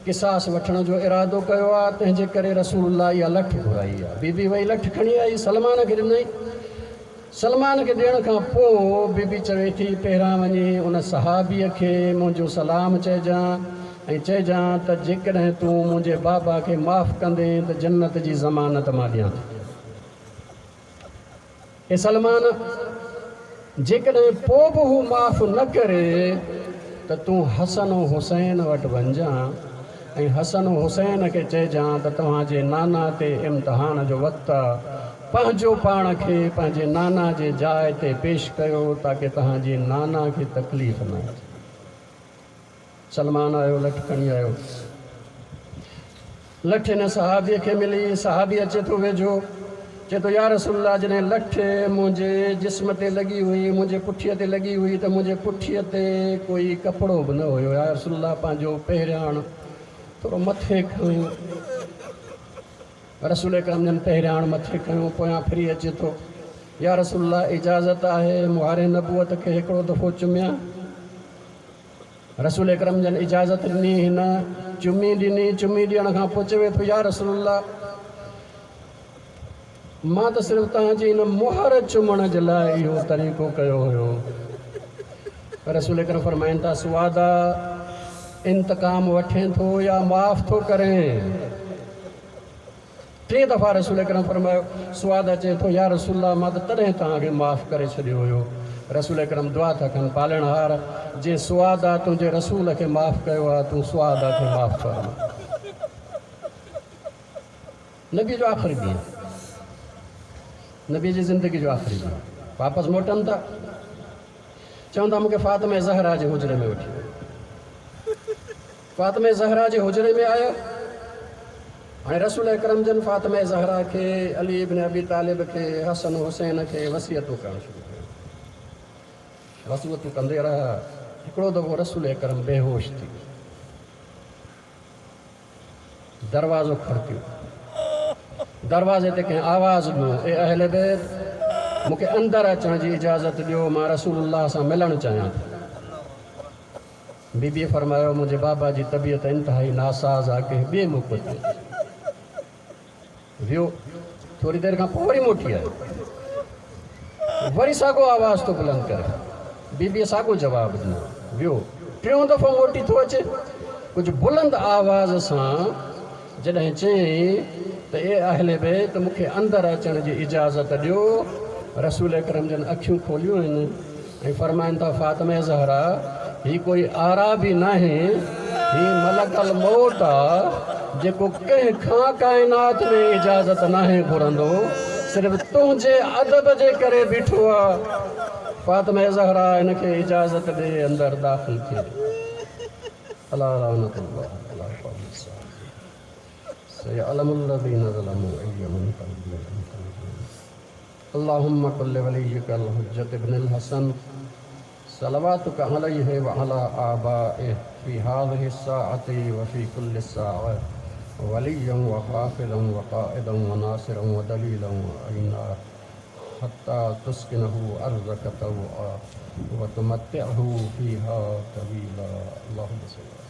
قصاص وٺڻ جو ارادو ڪيو آ، تنهن جي ڪري رسول الله اها لٺ گهرائي آ. بي بي وئي لٺ کڻي آئي، سلمان کي ڏنائين. سلمان کي ڏيڻ کان پوء بي بي چوي ٿي، پهريان وڃي ان صحابيء کي منهنجو سلام چئجان ۽ چئجان ته جيڪڏهن تون منهنجي بابا کي معاف ڪندين ته جنت جي ضمانت مان ڏيان ٿي. اي سلمان! جيڪڏهن پوء به هو معاف نه ڪري ته تون حسن و حسين وٽ وڃجان ۽ حسن و حسين کي چئجان ته توهان جي نانا تي امتحان جو وقت آ، پنهنجو پاڻ کي پنهنجي نانا جي جاء تي پيش ڪيو تاڪه توهان جي نانا کي تڪليف نه اچي. سلمان آيو، لٺ کڻي آيو. لٺ هن صحابيء کي ملي. صحابي اچي ٿو ويجهو، چئي ٿو، يا رسول الله! جڏهن لٺ منهنجي جسم تي لڳي هئي، منهنجي پٺيء تي لڳي هئي ته منهنجي پٺيء تي ڪوئي ڪپڙو به نه هيو. يا رسول الله! پنهنجو پهرياڻ ٿورو مٿي کڻو. رسول اڪرم جن پهرياڻ مٿي کنيو، پويان ڦري اچي ٿو، يا رسول الله! اجازت آهي مهار نبوت کي هڪڙو دفعو چميان؟ رسول اڪرم جن اجازت ڏني، هن چمي ڏني، چمي ڏيڻ کان پوء چوي ٿو يا رسول الله! مان ته صرف توهان جي هن مهر چمڻ جي لاء اهو طريقو ڪيو هيو. رسول اڪرم فرمائن ٿا سوادا انتقام وٺين ٿو يا معاف ٿو ڪرين؟ ٽي دفعا رسول اڪرم فرمايو، سعاد اچي ٿو، يا رسول الله مان ته تڏهن توهان کي معاف ڪري ڇڏيو هيو. رسول اڪرم دعا ٿا ڪن، پالڻهار! جنهن سعاده تنهنجي رسول کي معاف ڪيو آهي، تون سعاده کي معاف فرما. نبي جو آخري ڏينهن، نبي جي زندگي جو آخري ڏينهن، واپس موٽن ٿا. چون ٿا مون کي فاطمه زهرا جي حجري ۾ وٺي وڃو. فاطمه زهرا جي حجري ۾ آيا. هاڻي رسول اڪرم جن فاطمه زهرا کي، علي ابن ابي طالب کي، حسن حسين کي وصيتون ڪرڻ شروع ڪيون. وصيتون ڪندي رهيا. هڪڙو دفعو رسول اڪرم بيهوش ٿي ويو. دروازو کڙڪيو. دروازي تي ڪنهن آواز ڏنو، اي اهل بيت! مون کي اندر اچڻ جي اجازت ڏيو، مان رسول الله سان ملڻ چاهيان ٿو. بيبيء فرمايو، منهنجي بابا جي طبيعت انتهائي ناساز آ، ڪنهن ٻئي موقعي تي اچ. ويو. ٿوري دير کان پوء وري موٽي آيو. وري ساڳو آواز ٿو بلند ڪري. بيبيء ساڳو جواب ڏنو. ويو. ٽيون دفعو موٽي ٿو اچي. ڪجهه بلند آواز سان جڏهن چيائين. ته اي اهل بيت مون کي اندر اچڻ جي اجازت ڏيو. رسول اڪرم جن اکيون کوليون آهن ۽ فرمائن ٿا فاطمه زهرا هي ڪوئي اعرابي ناهي، هي ملڪ الموت آ جيڪو ڪنهن کان ڪائنات ۾ اجازت ناهي گهرندو، صرف تنهنجي ادب جي ڪري بيٺو آ. فاطمه زهرا هن کي اجازت ڏي اندر داخل ٿئي. الا لعنت الله علي القوم الظالمين. سيعلم الذين ظلموا اي منقلب ينقلبون. اللهم كن لوليك الحجة ابن الحسن صلواتك عليه وعلى آبائه في هذه الساعة وفي كل ساعة وليا وحافظا وقائدا وناصرا ودليلا وعينا حتى تسكنه أرضك طوعا وتمتعه فيها طويلا. اللهم صل.